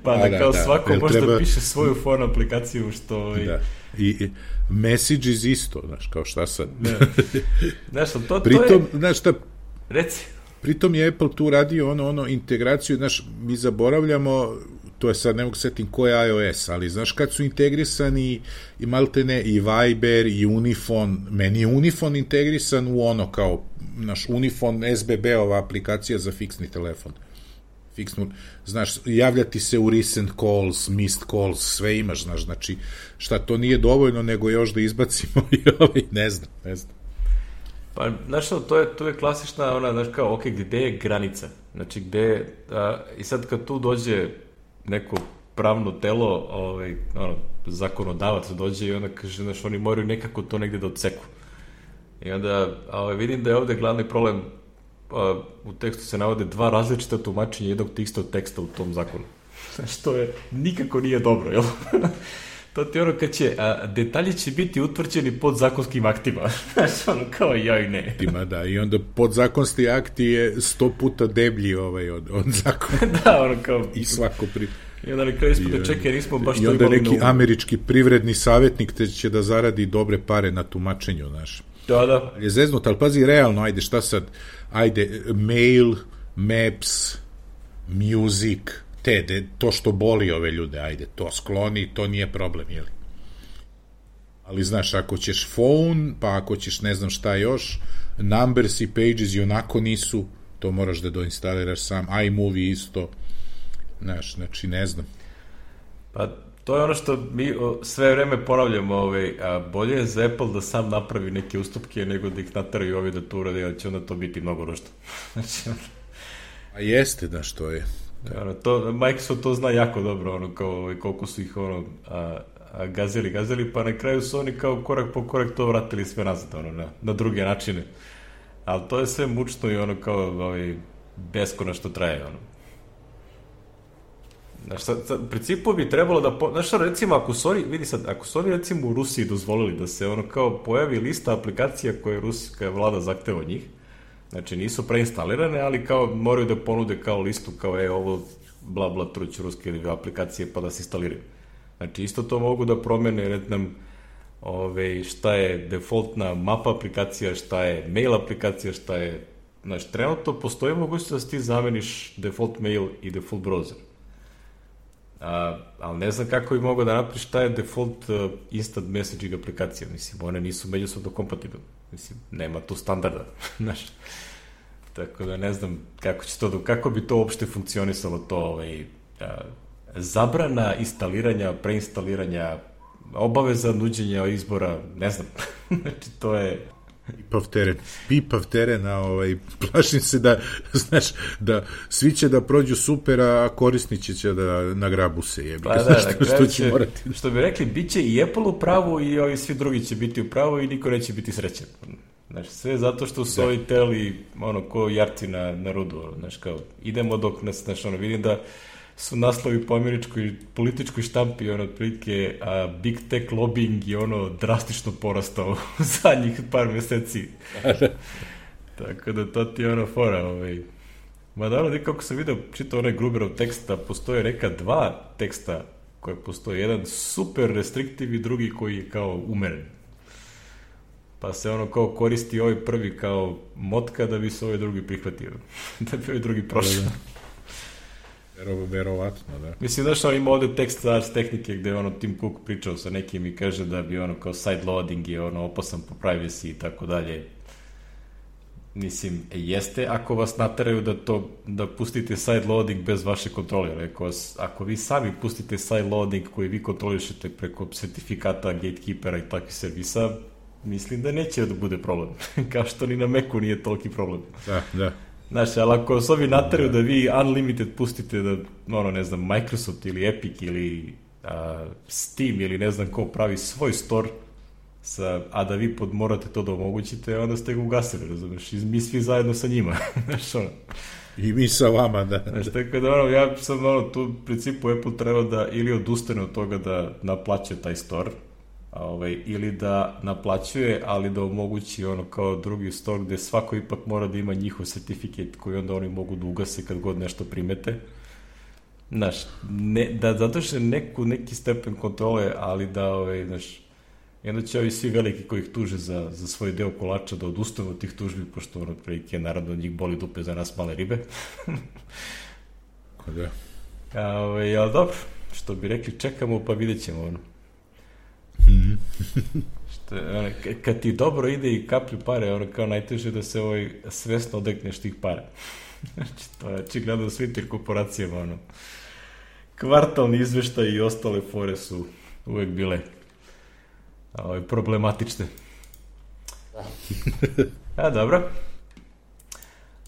S1: Pa da, da kao da, svako može treba... da piše svoju phone aplikaciju, što... Ovaj,
S2: da. I, i Messages isto, znaš, kao šta sad.
S1: Znaš, to, to
S2: pritom,
S1: je...
S2: znaš šta...
S1: Reci.
S2: Pritom je Apple tu radio ono, ono integraciju, znaš, mi zaboravljamo, to je sad, ne mogu setim ko je iOS, ali znaš kad su integrisani i maltene i Viber i Unifone, meni je Unifone integrisan u ono kao, naš Unifone S B B-ova aplikacija za fiksni telefon. Fiksnu, znaš, javljati se u recent calls, missed calls, sve imaš, znaš, znači, šta to nije dovoljno, nego još da izbacimo i ovaj, ne znam, ne znam.
S1: Pa, znaš što, to je, to je klasična, ona, znaš, kao, ok, gde je granica? Znači, gde, a, i sad kad tu dođe neko pravno telo, ovaj, ono, zakonodavac dođe i onda kaže, znaš, oni moraju nekako to negde da odseku. I onda, ovaj, vidim da je ovde glavni problem, a, u tekstu se navode dva različita tumačenja jednog istog teksta u tom zakonu. Znaš, to je, nikako nije dobro, jel? To ti ono kad će, a, detalji će biti utvrđeni pod zakonskim aktima. Znaš, ono kao ja i ne.
S2: Ima, da, i onda podzakonski akti je sto puta deblji ovaj od, od zakona.
S1: Da, ono kao...
S2: I svako pri...
S1: I onda na kraju ispod čekaj, nismo baš to imali...
S2: I onda neki američki privredni savjetnik te će da zaradi dobre pare na tumačenju, znaš.
S1: Da, da.
S2: Je zeznut, ali pazi, realno, ajde, šta sad, ajde, mail, maps, music, te, de, to što boli ove ljude, ajde, to skloni, to nije problem, jeli? Ali, znaš, ako ćeš phone, pa ako ćeš ne znam šta još, numbers i pages i onako nisu, to moraš da doinstaliraš sam, iMovie isto, znaš, znači, ne znam.
S1: Pa, to je ono što mi sve vreme ponavljamo, ovaj, a bolje je za Apple da sam napravi neke ustupke nego da ih nataraju ovi da to urade, jer će onda to biti mnogo ružno. Znači,
S2: a jeste, da, što je.
S1: Da. Ono, to, Microsoft to zna jako dobro, ono, kao, koliko su ih ono, a, a, gazeli, gazeli, pa na kraju su oni kao korak po korak to vratili sve nazad, ono, na, na druge načine. Ali to je sve mučno i ono kao ovaj, beskonačno traje, ono. Znaš, sad, sad, u principu bi trebalo da, po, znaš šta, recimo, ako su oni, vidi sad, ako su oni recimo u Rusiji dozvolili da se ono kao pojavi lista aplikacija koje ruska vlada zahteva od njih, znači nisu preinstalirane, ali kao moraju da ponude kao listu, kao je ovo bla bla truć ruske aplikacije pa da se instaliraju. Znači isto to mogu da promene, red nam ove, šta je defaultna mapa aplikacija, šta je mail aplikacija, šta je, znači trenutno postoji mogućnost da ti zameniš default mail i default browser. A, ali ne znam kako bi mogao da napriš šta je default uh, instant messaging aplikacija, mislim, one nisu međusobno kompatibilne, mislim, nema tu standarda, znaš, tako da ne znam kako će to, kako bi to uopšte funkcionisalo to, ovaj, a, zabrana instaliranja, preinstaliranja, obaveza nuđenja izbora, ne znam, znači to je...
S2: Pipav teren, pipav teren, a ovaj, plašim se da, znaš, da svi će da prođu super, a korisnici će da nagrabu se, jebi.
S1: Pa da, što, što, će, morati. Što bi rekli, bit će i Apple u pravu i ovi svi drugi će biti u pravu i niko neće biti srećan. Znaš, sve zato što su da. Ovi teli, ono, ko jarci na, na rudu, znaš, kao, idemo dok nas, znaš, ono, vidim da su naslovi po američkoj političkoj štampi, ono, otprilike, a big tech lobbying je, ono, drastično porastao u zadnjih par meseci. Tako da to ti je, ono, fora, ovaj. Ma da, ono, kako sam vidio, čitao onaj Gruberov tekst, da postoje neka dva teksta koje postoje, jedan super restriktiv i drugi koji je kao umeren. Pa se ono kao koristi ovaj prvi kao motka da bi se ovaj drugi prihvatio. Da bi ovaj drugi prošao.
S2: Vero, verovatno, da.
S1: Mislim, znaš, on ima ovde tekst Ars tehnike gde ono Tim Cook pričao sa nekim i kaže da bi ono kao side loading je ono opasan po privacy i tako dalje. mislim, jeste ako vas nateraju da to, da pustite side loading bez vaše kontrole, ali ako, vas, ako vi sami pustite side loading koji vi kontrolišete preko sertifikata, gatekeepera i takvih servisa, mislim da neće da bude problem. Kao što ni na Macu nije toliki problem.
S2: Da, da.
S1: Znaš, ali ako vas ovi nateraju da vi unlimited pustite da, ono, ne znam, Microsoft ili Epic ili a, Steam ili ne znam ko pravi svoj store, sa, a da vi pod, morate to da omogućite, onda ste ga ugasili, razumiješ, i mi svi zajedno sa njima, znaš, ono.
S2: I mi sa vama, da.
S1: Znaš, tako da, ono, ja sam, ono, tu u principu Apple treba da ili odustane od toga da naplaćuje taj store, ovaj, ili da naplaćuje, ali da omogući ono kao drugi store gde svako ipak mora da ima njihov certifikat koji onda oni mogu da ugase kad god nešto primete. Znaš, ne, da zadrže neku, neki stepen kontrole, ali da, ovaj, znaš, onda će ovi svi veliki koji ih tuže za, za svoj deo kolača da odustanu od tih tužbi, pošto ono prilike, naravno, njih boli dupe za nas male ribe.
S2: Da.
S1: A, ovaj, ali dobro, što bi rekli, čekamo pa vidjet ćemo ono. Što, ono, kad ti dobro ide i kaplju pare, ono kao najteže da se ovaj svesno odekneš tih para. Znači, to je očigledno svim tim korporacijama, ono. Kvartalni izveštaj i ostale fore su uvek bile ovaj, problematične. A, dobro.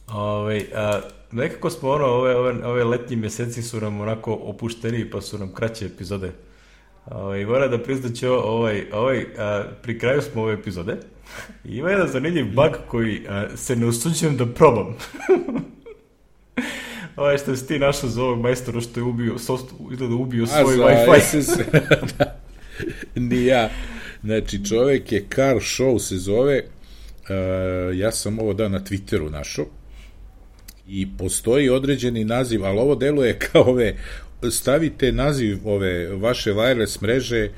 S1: Ovaj, a, nekako smo, ono, ove, ove, ove letnji meseci su nam onako opušteni, pa su nam kraće epizode. Ovaj, moram da priznaću ovaj, ovaj, a, pri kraju smo ove epizode i ima jedan zanimljiv bug koji a, se ne usuđujem da probam. Ovaj što si ti našao za ovog majstora što je ubio, izgleda ubio svoj Wi-Fi.
S2: Da. Ni ja. Znači, čovek je Car Show se zove, uh, ja sam ovo dao na Twitteru našao i postoji određeni naziv, ali ovo deluje kao ove, stavite naziv ove vaše wireless mreže,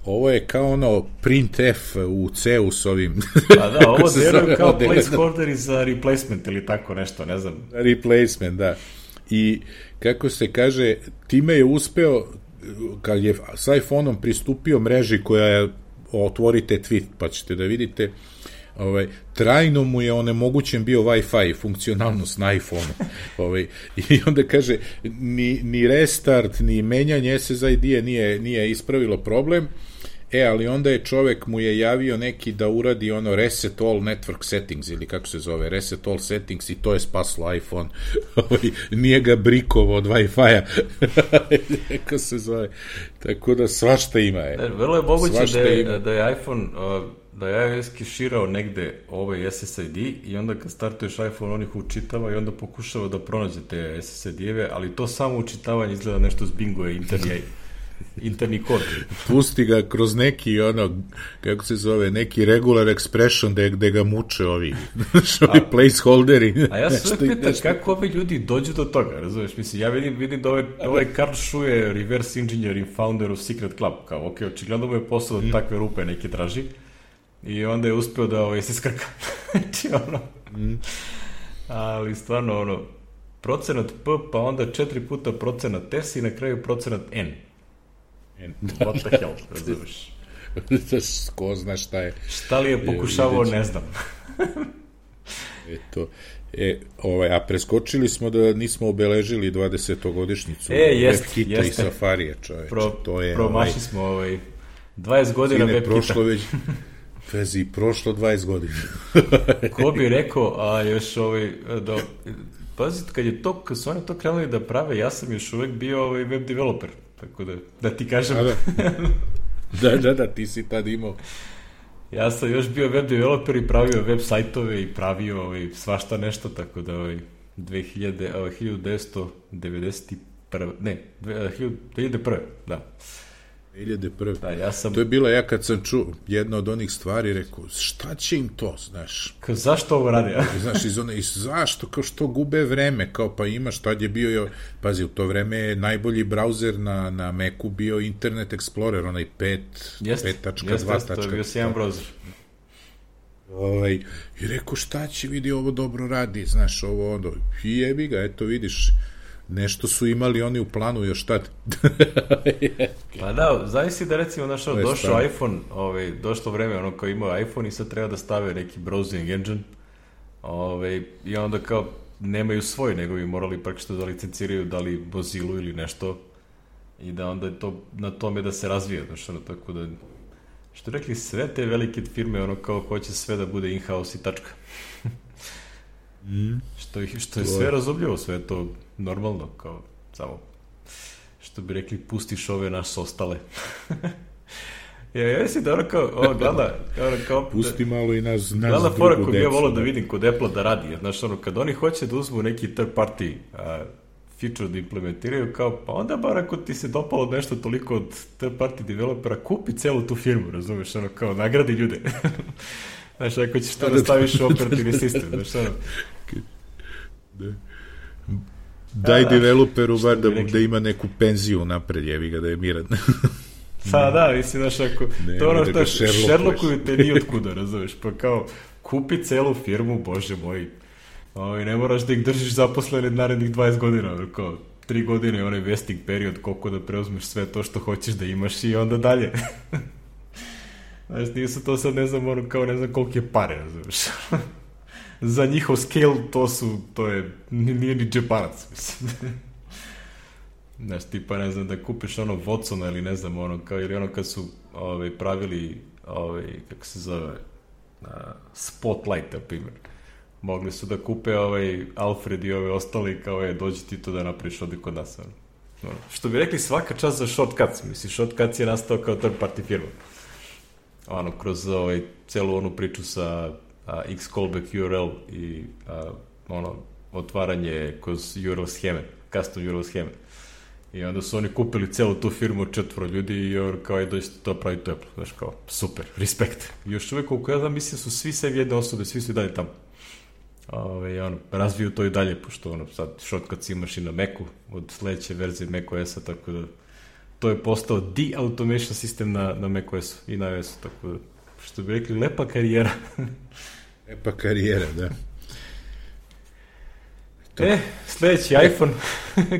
S2: ovo je kao ono printf u C-u s ovim.
S1: Pa da, ovo deluje kao placeholder za replacement ili tako nešto, ne znam.
S2: Replacement, da. I kako se kaže, time je uspeo, kad je s iPhone-om pristupio mreži koja je, otvorite tweet pa ćete da vidite, ovaj, trajno mu je onemogućen bio Wi-Fi funkcionalnost na iPhone-u. Ovaj, i onda kaže, ni, ni restart, ni menjanje S S I D nije, nije ispravilo problem. E, ali onda je čovek mu je javio neki da uradi ono reset all network settings, ili kako se zove, reset all settings, i to je spaslo iPhone. Nije ga brikovo od Wi-Fi-a. Kako se zove. Tako da svašta ima je.
S1: Vrlo je moguće da je, da je iPhone, da je iOS keširao negde ovaj S S I D i onda kad startuješ iPhone on ih učitava i onda pokušava da pronađe te S S I D-eve, ali to samo učitavanje izgleda nešto s bingoje interni interni kod.
S2: Pusti ga kroz neki, ono, kako se zove, neki regular expression gde, gde ga muče ovi, ovi placeholderi.
S1: A ja se uvijek pitam kako ovi ljudi dođu do toga, razumiješ? Mislim, ja vidim, vidim da ovaj, ovaj Carl Shu je reverse engineer i founder of Secret Club, kao, ok, očigledno mu je posao da takve rupe neke traži i onda je uspeo da ovaj, se skrka. Znači, ono, ali stvarno, ono, procenat P, pa onda četiri puta procenat S i na kraju procenat N. What the hell, razumiješ?
S2: Ko zna šta je.
S1: Šta li je pokušavao, ne znam.
S2: Eto, e, ovaj, a preskočili smo da nismo obeležili dvadesetogodišnjicu
S1: e, jest,
S2: WebKita
S1: jeste.
S2: i Safarija, čoveče.
S1: Pro,
S2: to je,
S1: promašli ovaj, smo ovaj, dvadeset godina WebKita.
S2: Prošlo već, vezi, prošlo dvadeset godina.
S1: Ko bi rekao, a još ovaj, da, pazite, kad je to, kad su oni to krenuli da prave, ja sam još uvek bio ovaj web developer. Tako da, da ti kažem.
S2: Da, da, da, da, ti si tad imao.
S1: Ja sam još bio web developer i pravio web sajtove i pravio ovaj, svašta nešto, tako da ovaj, dve hiljade, ovaj, hiljadu devetsto devedeset prve, ne, dve hiljade prve, da.
S2: dve hiljade prve.
S1: Da, ja sam...
S2: To je bila, ja kad sam čuo jedna od onih stvari, rekao, šta će im to, znaš?
S1: Kao, zašto ovo radi? Ja?
S2: Znaš, iz one, iz, zašto, kao što gube vreme, kao pa imaš, tad je bio, pazi, u to vreme je najbolji brauzer na, na Macu bio Internet Explorer, onaj pet tačka dva.
S1: Jeste, to je bio sjajan brauzer.
S2: Ovaj, i rekao, šta će, vidi, ovo dobro radi, znaš, ovo onda, i jebi ga, eto, vidiš, nešto su imali oni u planu još tad.
S1: Pa da, zavisi da recimo našao, došao stavno. iPhone, ovaj, došlo vreme ono kao imao iPhone i sad treba da stave neki browsing engine Ove, i onda kao nemaju svoj, nego bi morali praktično da licenciraju da li Mozilu ili nešto i da onda je to na tome da se razvija, znaš, ono, tako da što rekli, sve te velike firme, ono, kao hoće sve da bude in-house i tačka.
S2: mm.
S1: što, što je sve razumljivo, sve je to normalno, kao samo što bi rekli, pustiš ove naš ostale. Ja, ja mislim da ono kao, ovo gleda, ono kao...
S2: Pusti malo i nas, nas
S1: gleda fora koga ja volao
S2: da
S1: da vidim kod Apple da radi, znaš, ono, kad oni hoće da uzmu neki third party a, feature da implementiraju, kao, pa onda bar ako ti se dopalo nešto toliko od third party developera, kupi celu tu firmu, razumeš, ono, kao, nagradi ljude. Znaš, ako ćeš to da staviš u operativni sistem, znaš, ono...
S2: Daj da, developeru bar da, da ima neku penziju napred, jevi ga, da je miran.
S1: Pa da, mislim, znaš, ako... Ne, to ono što Sherlockuju te ni otkuda, razumeš, pa kao, kupi celu firmu, bože moj, o, i ne moraš da ih držiš zaposlene narednih dvadeset godina, kao, tri godine je onaj vesting period, koliko da preuzmeš sve to što hoćeš da imaš i onda dalje. Znaš, nisu to sad, ne znam, ono, kao, ne znam koliko je pare, razumeš. Za njihov scale to su, to je, nije ni džeparac, mislim. Znaš, tipa, ne znam, da kupiš ono Watsona ili ne znam, ono, kao, ili ono kad su ovaj, pravili, ovaj, kako se zove, uh, Spotlight, na primjer. Mogli su da kupe ovaj Alfred i ove ostali, kao je, dođi ti to da napraviš ovdje kod nas. Ono. Ono. Što bi rekli, svaka čast za Shortcuts, misli, Shortcuts je nastao kao third party firma. Ono, kroz ovaj, celu onu priču sa a, X callback U R L i a, ono, otvaranje kroz U R L scheme, custom U R L scheme. I onda su oni kupili celu tu firmu od četvoro ljudi i kao je dođete to praviti to Apple. Znaš, kao, super, respekt. I još uvijek, koliko ja znam, mislim, su svi sve jedne osobe, svi su i dalje tamo. Ove, ono, razviju to i dalje, pošto ono, sad Shortcuts imaš i na Macu, od sledeće verzije macOS-a, tako da to je postao de-automation sistem na, na macOS-u i na iOS-u, tako da, što bi rekli, lepa karijera.
S2: Lepa karijera, da.
S1: To. E, sledeći iPhone,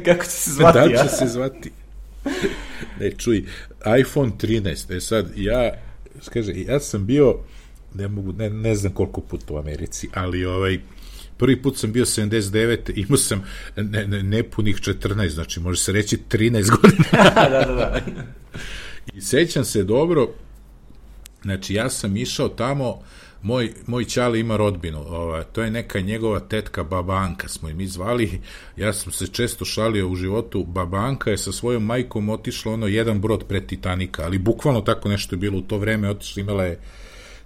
S1: kako će se zvati?
S2: Da će ja? se zvati? Ne, čuj, iPhone trinaest, e sad, ja, kaže, ja sam bio, ne mogu, ne, ne znam koliko puta u Americi, ali ovaj, prvi put sam bio sedamdeset devete, imao sam ne, ne, nepunih četrnaest, znači može se reći trinaest godina.
S1: da, da, da.
S2: I sećam se dobro, znači ja sam išao tamo, moj, moj ćale ima rodbinu, ova, to je neka njegova tetka Baba Anka, smo im zvali, ja sam se često šalio u životu, Baba Anka je sa svojom majkom otišla ono jedan brod pred Titanika, ali bukvalno tako nešto je bilo u to vreme, otišla, imala je,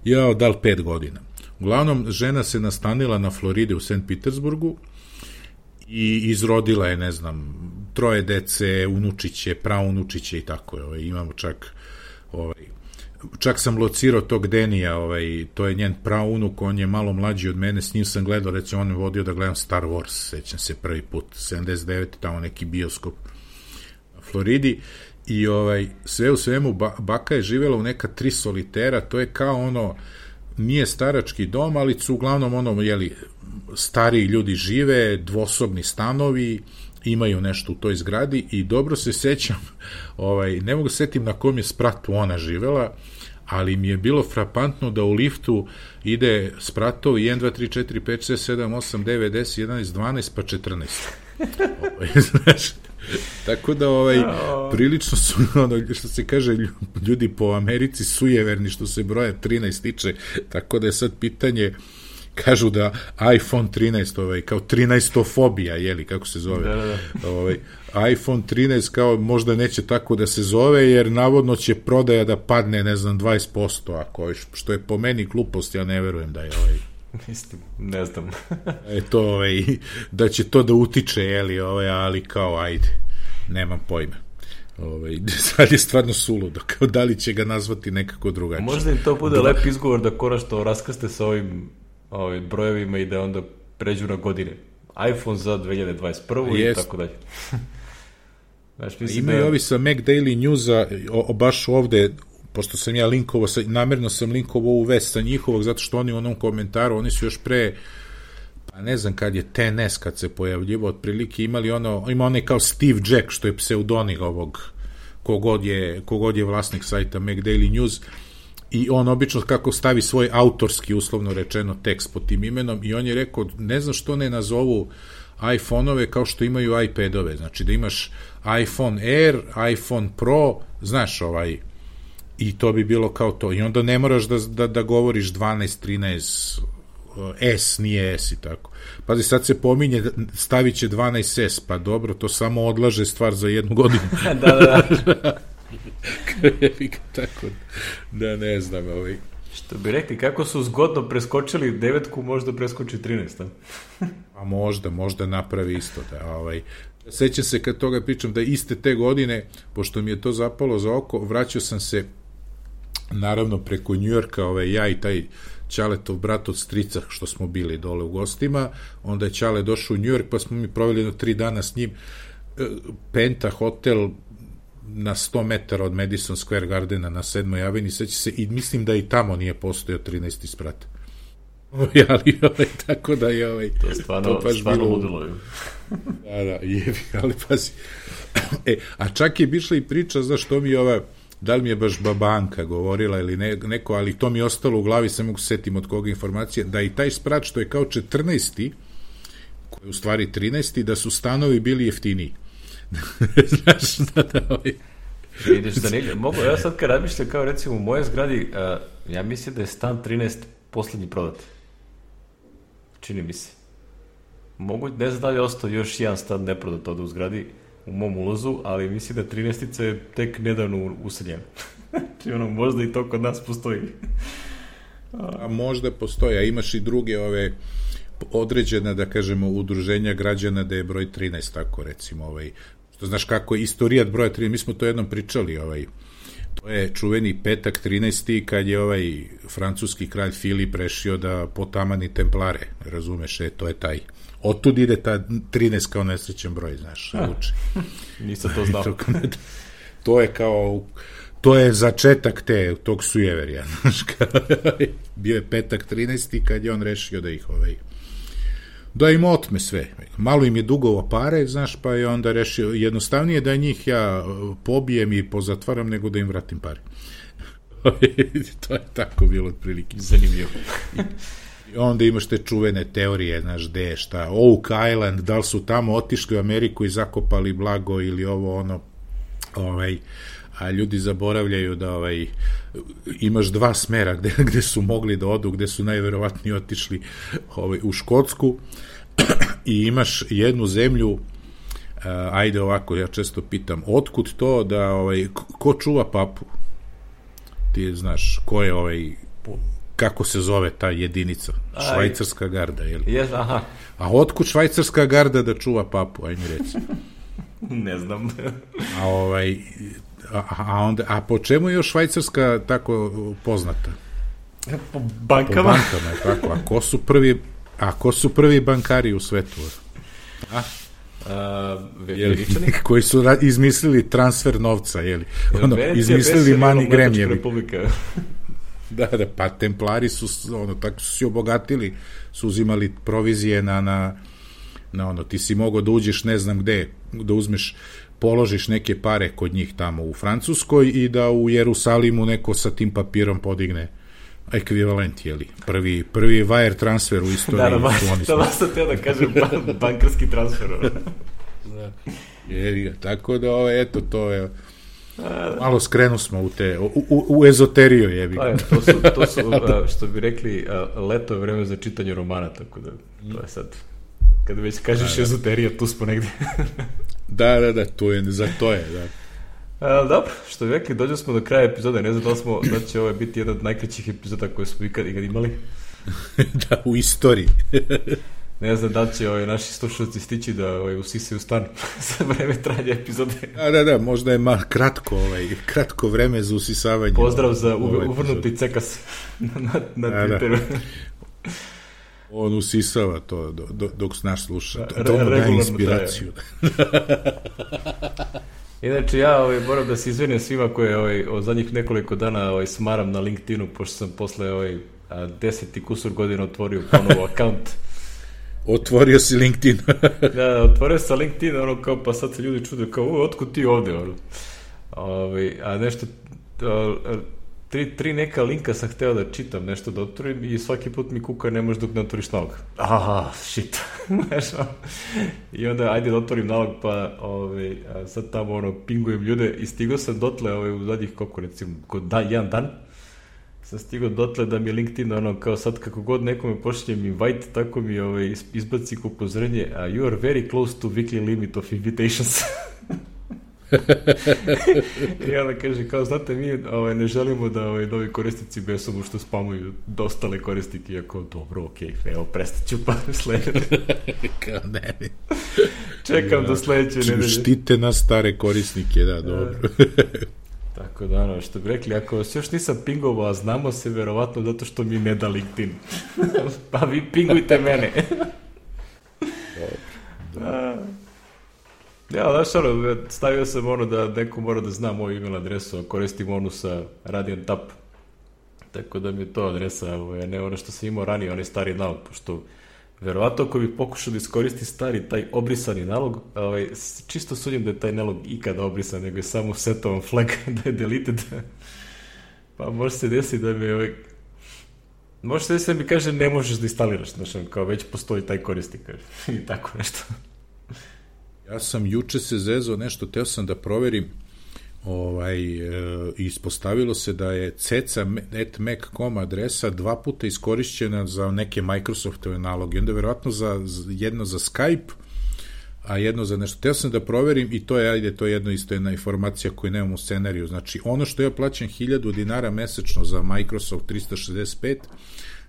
S2: ja, da li pet godina. Uglavnom, žena se nastanila na Floride u Sankt Petersburgu i izrodila je, ne znam, troje dece, unučiće, praunučiće i tako je, ovaj, imamo čak ovaj, čak sam locirao tog Denija, ovaj, to je njen praunuk, on je malo mlađi od mene, s njim sam gledao, recimo on je vodio da gledam Star Wars, sećam se prvi put, sedamdeset devete tamo neki bioskop na Floridi, i ovaj, sve u svemu ba, baka je živjela u neka tri solitera, to je kao ono, nije starački dom, ali su uglavnom ono, jeli, stariji ljudi žive, dvosobni stanovi, imaju nešto u toj zgradi i dobro se sećam, ovaj, ne mogu setim na kom je spratu ona živela, ali mi je bilo frapantno da u liftu ide spratovi jedan, dva, tri, četiri, pet, šest, sedam, osam, devet, deset, jedanaest, dvanaest, pa četrnaest. Ovaj, znaš, tako da ovaj, prilično su, ono, što se kaže, ljudi po Americi sujeverni što se broja trinaest tiče, tako da je sad pitanje, kažu da iPhone trinaest, ovaj, kao trinaestofobija, jeli, kako se zove,
S1: da, da.
S2: Ovaj, iPhone trinaest kao možda neće tako da se zove, jer navodno će prodaja da padne, ne znam, dvadeset posto, ako, što je po meni glupost, ja ne verujem da je ovaj,
S1: Mislim, ne znam.
S2: e to, ovaj, da će to da utiče, jeli, ovaj, ali kao, ajde, nemam pojma. Ovaj, sad je stvarno suludo, kao da li će ga nazvati nekako drugačije.
S1: Možda im to bude lep izgovor da konačno raskaste sa ovim, ovim brojevima i da onda pređu na godine. iPhone za dve hiljade dvadeset prvu i tako dalje. Znaš, mislim
S2: imaju
S1: da...
S2: ovi sa Mac Daily Newsa, o, o, baš ovde, pošto sam ja linkovao, namjerno sam linkovao u vest sa njihovog, zato što oni u onom komentaru, oni su još pre, pa ne znam kad je T N S kad se pojavljivo, otprilike imali ono, ima onaj kao Steve Jack, što je pseudonik ovog, kogod je, kogod je vlasnik sajta Mac Daily News, i on obično kako stavi svoj autorski, uslovno rečeno, tekst pod tim imenom i on je rekao, ne znam što ne nazovu iPhone-ove kao što imaju iPad-ove, znači da imaš iPhone Air, iPhone Pro, znaš ovaj, i to bi bilo kao to, i onda ne moraš da, da, da govoriš dvanaest, trinaest, S, nije S i tako. Pazi, sad se pominje, stavit će dvanaest S, pa dobro, to samo odlaže stvar za jednu godinu.
S1: da, da, da.
S2: Tako, da ne znam, ovaj.
S1: Što bi rekli, kako su zgodno preskočili devetku, možda preskoči trinaest, a?
S2: A možda, možda napravi isto, da, ovaj. Sećam se kad toga pričam da iste te godine, pošto mi je to zapalo za oko, vraćao sam se naravno preko Njujorka, ovaj, ja i taj Ćaletov brat od strica što smo bili dole u gostima, onda je Ćale došao u Njujork pa smo mi proveli jedno tri dana s njim, Penta hotel na sto metara od Madison Square Gardena na sedmoj aveni, seća se, i mislim da i tamo nije postojao trinaesti sprat. Ali, ovaj, tako da je ovaj,
S1: to stvarno, to stvarno ludilo.
S2: Da, da, jebi, ali pazi. E, a čak je bišla i priča, znaš, to mi je ova, da li mi je baš babanka govorila ili ne, neko, ali to mi je ostalo u glavi, se mogu setim od koga informacije, da i taj sprat što je kao četrnaesti, koji je u stvari trinaesti, da su stanovi bili jeftiniji. Znaš, da, da, ovaj.
S1: Vidiš, da ne, mogu, ja sad kad razmišljam, kao recimo u moje zgradi, uh, ja mislim da je stan trinaest poslednji prodat. Čini mi se. Mogu, ne znam da li je ostao još jedan stan neprodat ovde u zgradi, u mom ulazu, ali mislim da trinaestica je tek nedavno useljen. Či ono, možda i to kod nas postoji.
S2: A možda postoji, a imaš i druge ove određena, da kažemo, udruženja građana da je broj trinaest, tako recimo, ovaj, što znaš kako je istorijat broja trinaest, mi smo to jednom pričali, ovaj, to je čuveni petak trinaesti kad je ovaj francuski kralj Filip rešio da potamani templare, razumeš, e, to je taj, otud ide ta trinaest kao nesrećen broj, znaš, uči.
S1: Nisam to znao.
S2: To, to je kao, to je začetak te, tog sujeverja, znaš, bio je petak trinaesti kad je on rešio da ih ovaj, da im otme sve. Malo im je dugovo pare, znaš, pa je onda rešio, jednostavnije da njih ja pobijem i pozatvaram nego da im vratim pare. To je tako bilo otprilike.
S1: Zanimljivo.
S2: I onda imaš te čuvene teorije, znaš, gde je šta, Oak Island, da li su tamo otišli u Ameriku i zakopali blago ili ovo, ono, ovaj, a ljudi zaboravljaju da ovaj, imaš dva smera gde, gde su mogli da odu, gde su najverovatnije otišli ovaj, u Škotsku i imaš jednu zemlju, uh, ajde ovako, ja često pitam, otkud to da, ovaj, ko čuva papu? Ti znaš, ko je ovaj, kako se zove ta jedinica? Švajcarska garda, je li?
S1: Yes, aha.
S2: A otkud švajcarska garda da čuva papu, aj mi reci.
S1: Ne znam.
S2: A ovaj... A, a, onda, a po čemu je još Švajcarska tako poznata?
S1: Po bankama.
S2: Po bankama, je tako. A ko su prvi, a ko su prvi bankari u svetu? A?
S1: A, Veličani?
S2: Koji su ra- izmislili transfer novca, jeli? Ono, izmislili MoneyGram, jeli? Da, da, pa templari su, ono, tako su se obogatili, su uzimali provizije na, na, na ono, ti si mogao da uđeš ne znam gde, da uzmeš položiš neke pare kod njih tamo u Francuskoj i da u Jerusalimu neko sa tim papirom podigne ekvivalent, jeli? Prvi, prvi wire transfer u istoriji.
S1: Da, da, da vas sam teo da kažem ban, bankarski transfer.
S2: Da. Jeli, tako da, ovo, eto, to je malo skrenu smo u te, u, u, u ezoteriju, jebi.
S1: A, to su, to su što bi rekli, leto je vreme za čitanje romana, tako da, to je sad, kada već kažeš da, ezoterija, tu smo negdje.
S2: Da, da, da, to je, za to je, da.
S1: A, dobro, što bi rekli, dođeli smo do kraja epizode, ne znam da li smo, da će ovo biti jedan od najkraćih epizoda koje smo ikad, ikad imali.
S2: Da, u istoriji.
S1: Ne znam da li će ovaj, naši slušalci stići da ovaj, usisaju stan za vreme trajanja epizode.
S2: Da, da, da, možda je ma kratko, ovaj, kratko vreme za usisavanje.
S1: Pozdrav za ovaj, uvrnuti cekas na, na, na da, Twitteru. Da.
S2: On usisava to do, do, dok naš sluša. To, to mu daje inspiraciju.
S1: Inače, ja ovaj, moram da se izvinim svima koje ovaj, od zadnjih nekoliko dana ovaj, smaram na LinkedInu, pošto sam posle ovaj, deset i kusur godina otvorio ponovo akaunt.
S2: Otvorio si LinkedIn.
S1: Da, otvorio sam LinkedIn, ono kao, pa sad se ljudi čude kao, otkud ti ovde, ono. Ovaj, a nešto, tri, tri neka linka sam hteo da čitam, nešto da otvorim i svaki put mi kuka ne možeš dok ne otvoriš nalog. Aha, shit. I onda ajde da otvorim nalog, pa ovaj, sad tamo ono, pingujem ljude i stigao sam dotle ovaj, u zadnjih koliko recimo, kod da, jedan dan, sam stigao dotle da mi je LinkedIn ono, kao sad kako god nekome pošljem invite, tako mi ovaj, izbaci upozorenje, a you are very close to weekly limit of invitations. I onda kaže, kao, znate, mi ovaj, ne želimo da ovaj, novi korisnici besomu što spamuju dostale korisnike, iako, dobro, okej, okay, evo, prestat ću pa sledeće.
S2: Kao ne.
S1: Čekam ja, do sledeće nedelje.
S2: Štite nas stare korisnike, da, dobro.
S1: Tako da, ono, što bi rekli, ako vas još nisam pingovao, a znamo se, verovatno zato što mi ne da LinkedIn. Pa vi pingujte mene.
S2: Dobro, dobro.
S1: Ja, znaš, ono, stavio sam ono da neko mora da zna moju email adresu, a koristim onu sa Radiant Tap. Tako da mi je to adresa, ovaj, ne ono što sam imao ranije, onaj stari nalog, pošto verovatno ako bih pokušao da iskoristi stari, taj obrisani nalog, ovaj, čisto sudim da je taj nalog ikada obrisan, nego je samo setovan flag da je deleted. Pa može se desiti da mi ovaj, može se desiti da mi kaže ne možeš da instaliraš, znaš, kao već postoji taj korisnik i tako nešto.
S2: Ja sam juče se zezao nešto, teo sam da proverim, ovaj, e, ispostavilo se da je ceca at mac dot com adresa dva puta iskorišćena za neke Microsoftove naloge, onda verovatno za, jedno za Skype, a jedno za nešto. Teo sam da proverim i to je, ajde, to je jedno isto jedna informacija koju nemam u scenariju. Znači, ono što ja plaćam hiljadu dinara mesečno za Microsoft trista šezdeset pet,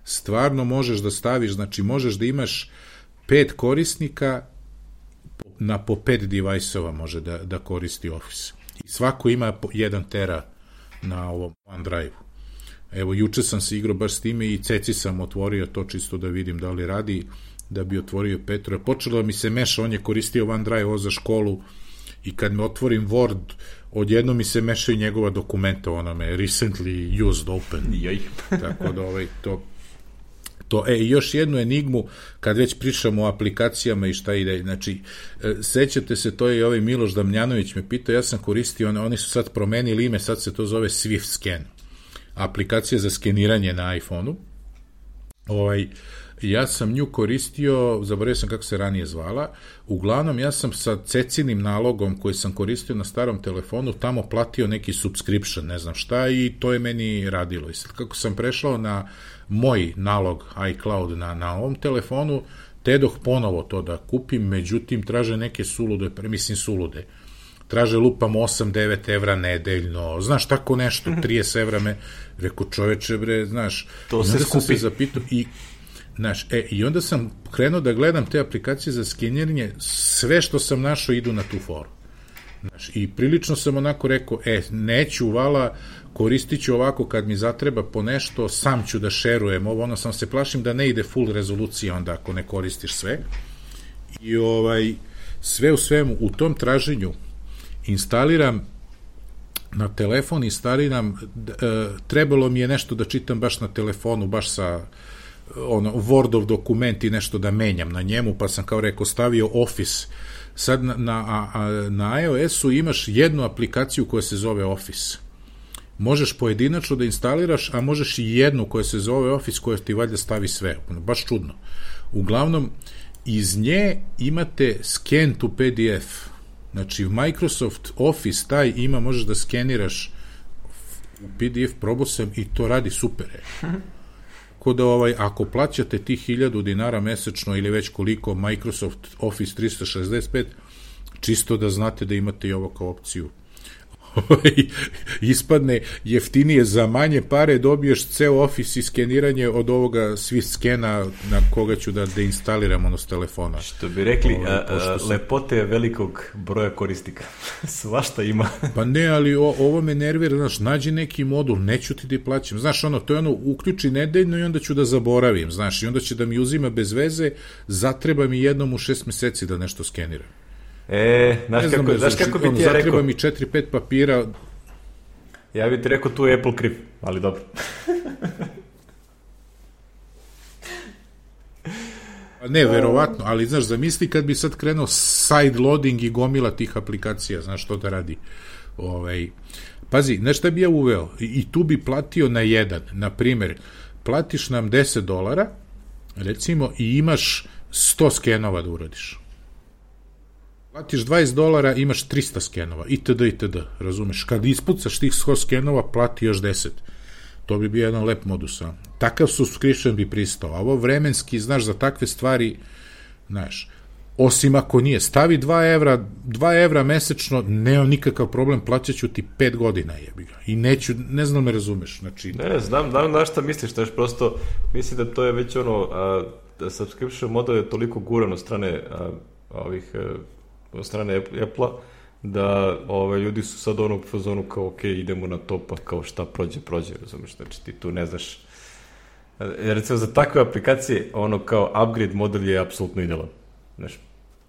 S2: stvarno možeš da staviš, znači možeš da imaš pet korisnika na po pet device-ova može da, da koristi Office. I svako ima jedan tera na ovom OneDrive-u. Evo, juče sam se igrao baš s time i ceci sam otvorio to čisto da vidim da li radi, da bi otvorio Petro. Počelo mi se meša, on je koristio OneDrive ovo za školu i kad me otvorim Word, odjedno mi se mešaju njegova dokumenta, ono me recently used open.
S1: Joj.
S2: Tako da ovaj, to To, e, još jednu enigmu, kad već pričamo o aplikacijama i šta ide, znači, e, sećate se, to je i ovaj Miloš Damljanović me pitao, ja sam koristio, on, oni su sad promenili ime, sad se to zove Swift Scan, aplikacija za skeniranje na iPhone-u, ovaj, ja sam nju koristio, zaboravio sam kako se ranije zvala, uglavnom ja sam sa cecinim nalogom koji sam koristio na starom telefonu tamo platio neki subscription, ne znam šta, i to je meni radilo. I sad kako sam prešao na moj nalog iCloud na, na ovom telefonu, tedoh ponovo to da kupim, međutim traže neke sulude, mislim sulude, traže lupam osam devet evra nedeljno, znaš, tako nešto, trideset evra me, reko čoveče bre, znaš,
S1: to se skupi.
S2: Se zapitao, i znaš, e, i onda sam krenuo da gledam te aplikacije za skeniranje, sve što sam našao idu na tu foru. Znaš, i prilično sam onako rekao, e, neću, vala, koristit ću ovako kad mi zatreba po nešto, sam ću da šerujem ovo, ono, sam se plašim da ne ide full rezolucija onda ako ne koristiš sve. I ovaj, sve u svemu, u tom traženju instaliram na telefon, instaliram, e, trebalo mi je nešto da čitam baš na telefonu, baš sa ono, Wordov dokument i nešto da menjam na njemu, pa sam kao rekao stavio Office. Sad na, na, a, na iOS-u imaš jednu aplikaciju koja se zove Office. Možeš pojedinačno da instaliraš, a možeš i jednu koja se zove Office koja ti valjda stavi sve. Baš čudno. Uglavnom, iz nje imate scan to P D F. Znači, Microsoft Office taj ima, možeš da skeniraš u P D F, probao sam i to radi super. Tako da, ovaj, ako plaćate tih hiljadu dinara mesečno ili već koliko Microsoft Office trista šezdeset pet, čisto da znate da imate i ovo kao opciju. Ispadne jeftinije, za manje pare dobiješ ceo Office i skeniranje od ovoga Swift skena na koga ću da deinstaliram ono s telefona.
S1: Što bi rekli, o, a, a, sam... lepote velikog broja korisnika. Svašta ima.
S2: Pa ne, ali o, ovo me nervira, znaš, nađi neki modul, neću ti da plaćam. Znaš, ono, to je ono, uključi nedeljno i onda ću da zaboravim, znaš, i onda će da mi uzima bez veze, zatreba mi jednom u šest meseci da nešto skeniram.
S1: E, znaš kako, znam, znaš kako bi ti ja rekao?
S2: Zatreba mi četiri pet papira.
S1: Ja bih ti rekao tu je Apple kriv, ali dobro.
S2: Ne, verovatno, ali znaš, zamisli kad bi sad krenuo side loading i gomila tih aplikacija, znaš što da radi. Ovaj, pazi, znaš šta bi ja uveo? I, i tu bi platio na jedan. Na primjer, platiš nam deset dolara, recimo, i imaš sto skenova da uradiš. Platiš dvadeset dolara, imaš trista skenova, itd., itd., razumeš? Kad ispucaš tih sto skenova, plati još deset. To bi bio jedan lep modus. A? Takav subscription bi pristao. A ovo vremenski, znaš, za takve stvari, znaš, osim ako nije, stavi dva evra, dva evra mesečno, nemam nikakav problem, plaćaću ti pet godina, jebi ga. I neću, ne znam me razumeš, znači...
S1: Ne, znam, znam na šta misliš, znaš, prosto, mislim da to je već ono, a, da subscription model je toliko guran od strane a, ovih, a, od strane Apple-a, da ove, ljudi su sad ono u fazonu kao, ok, idemo na to, pa kao šta prođe, prođe, razumeš, znači ti tu ne znaš. Recimo, za takve aplikacije, ono kao upgrade model je apsolutno idealan. Znaš,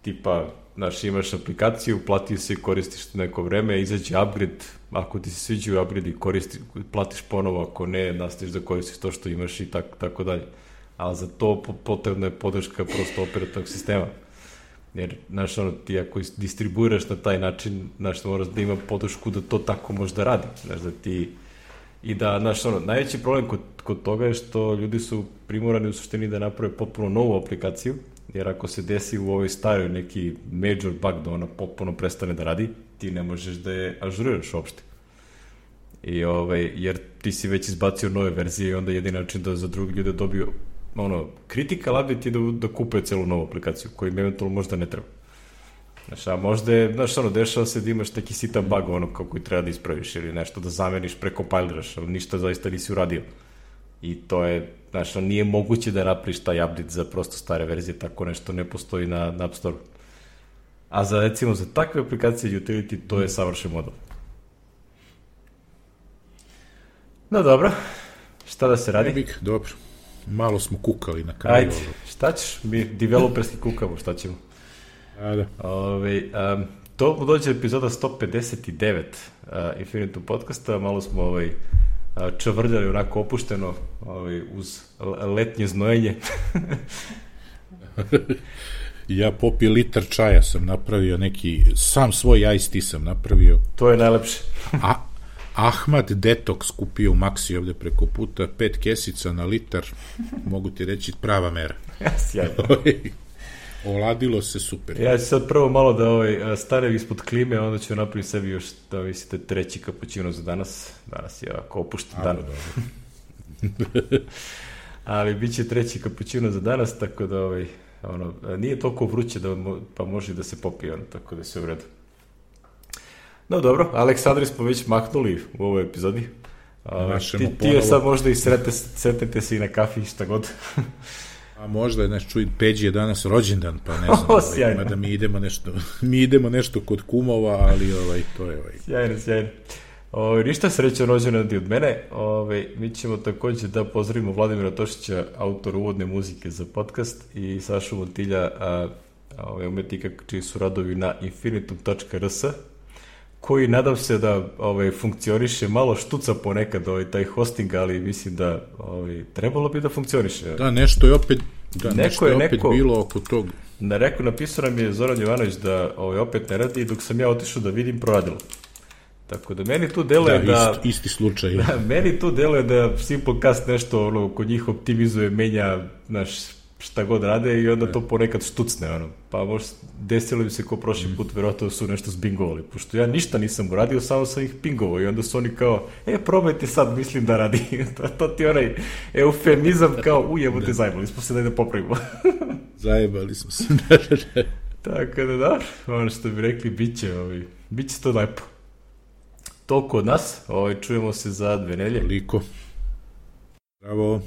S1: tipa, znaš, imaš aplikaciju, platiš se i koristiš neko vreme, izađe upgrade, ako ti se sviđaju upgrade i koristi, platiš ponovo, ako ne, nastaviš da koristiš to što imaš i tako, tako dalje. Ali za to potrebna je podrška prosto operativnog sistema. Jer, znaš, ono, ti ako distribuiraš na taj način, znaš, moraš da ima podršku da to tako može da radi. Znaš, da ti... I da, znaš, ono, najveći problem kod, kod toga je što ljudi su primorani u suštini da naprave potpuno novu aplikaciju, jer ako se desi u ovoj staroj neki major bug da ona potpuno prestane da radi, ti ne možeš da je ažuriraš uopšte. I, ovaj, jer ti si već izbacio nove verzije i onda jedini način da za drugi ljude dobiju ono, critical update je da, da kupe celu novu aplikaciju, koju im eventualno možda ne treba. Znaš, a možda je, znaš, ono, dešava se da imaš taki sitan bug, ono, kako i treba da ispraviš ili nešto da zameniš, prekompiliraš, ali ništa zaista nisi uradio. I to je, znaš, ono, nije moguće da napraviš taj update za prosto stare verzije, tako nešto ne postoji na, na App Store. A za, recimo, za takve aplikacije utility, to je savršen model. No, dobro. Šta da se radi?
S2: Nebik, dobro. Malo smo kukali na kraju.
S1: Ajde, šta ćeš? Mi developerski kukamo, šta ćemo?
S2: A, da.
S1: Ove, um, to dođe epizoda sto pedeset devet uh, Infinitum podcasta, malo smo ovaj, uh, čavrljali onako opušteno ovaj, uz letnje znojenje.
S2: Ja popio litar čaja, sam napravio neki, sam svoj iced tea sam napravio.
S1: To je najlepše.
S2: A Ahmad Detox kupio u Maxi ovde preko puta, pet kesica na litar, mogu ti reći prava mera.
S1: Sjajno.
S2: Oladilo se super.
S1: Ja ću sad prvo malo da ovaj, stanem ispod klime, a onda ću napraviti sebi još, da mislite, treći kapućino za danas. Danas je ovako opušten dan. Ali bit će treći kapućino za danas, tako da ovaj, ono, nije toliko vruće da pa može da se popije, ono, tako da se u redu. No dobro, Aleksandri smo već mahnuli u ovoj epizodi. Uh, ti, ti je sad možda i srete, sretnete se i na kafi, šta god.
S2: A možda je, znaš, čuj, Peđi je danas rođendan, pa ne znam, o, ovaj, da mi idemo nešto, mi idemo nešto kod kumova, ali ovaj, to je ovaj.
S1: Sjajno, sjajno. Ove, ništa srećan rođendan od mene. Ove, mi ćemo također da pozdravimo Vladimira Tošića, autor uvodne muzike za podcast, i Sašu Montilja, a, a, umetnika čiji su radovi na infinitum tačka r s, koji nadam se da ovaj, funkcioniše, malo štuca ponekad ovaj, taj hosting, ali mislim da ovaj, trebalo bi da funkcioniše.
S2: Da, nešto je opet, da,
S1: neko
S2: nešto je,
S1: je
S2: opet
S1: neko,
S2: bilo oko toga.
S1: Na reku napisao nam je Zoran Jovanović da ovaj, opet ne radi, i dok sam ja otišao da vidim, proradilo. Tako da meni tu deluje da...
S2: Da, isti, isti slučaj.
S1: Da, meni tu deluje da Simplecast nešto ono, kod njih optimizuje, menja, znaš, šta god rade, i onda to ponekad štucne, ono. Pa možda desilo bi se ko prošli put, verovatno su nešto zbingovali, pošto ja ništa nisam uradio, samo sam ih pingovao, i onda su oni kao, e, probajte sad, mislim da radi. to, to ti onaj eufemizam kao, ujemo te, zajebali smo se, daj da popravimo.
S2: Zajebali smo se.
S1: Tako da, da, ono što bi rekli, bit će, ovaj, bit će to lepo. Toliko od nas, ovaj, čujemo se za dve nelje.
S2: Toliko. Bravo.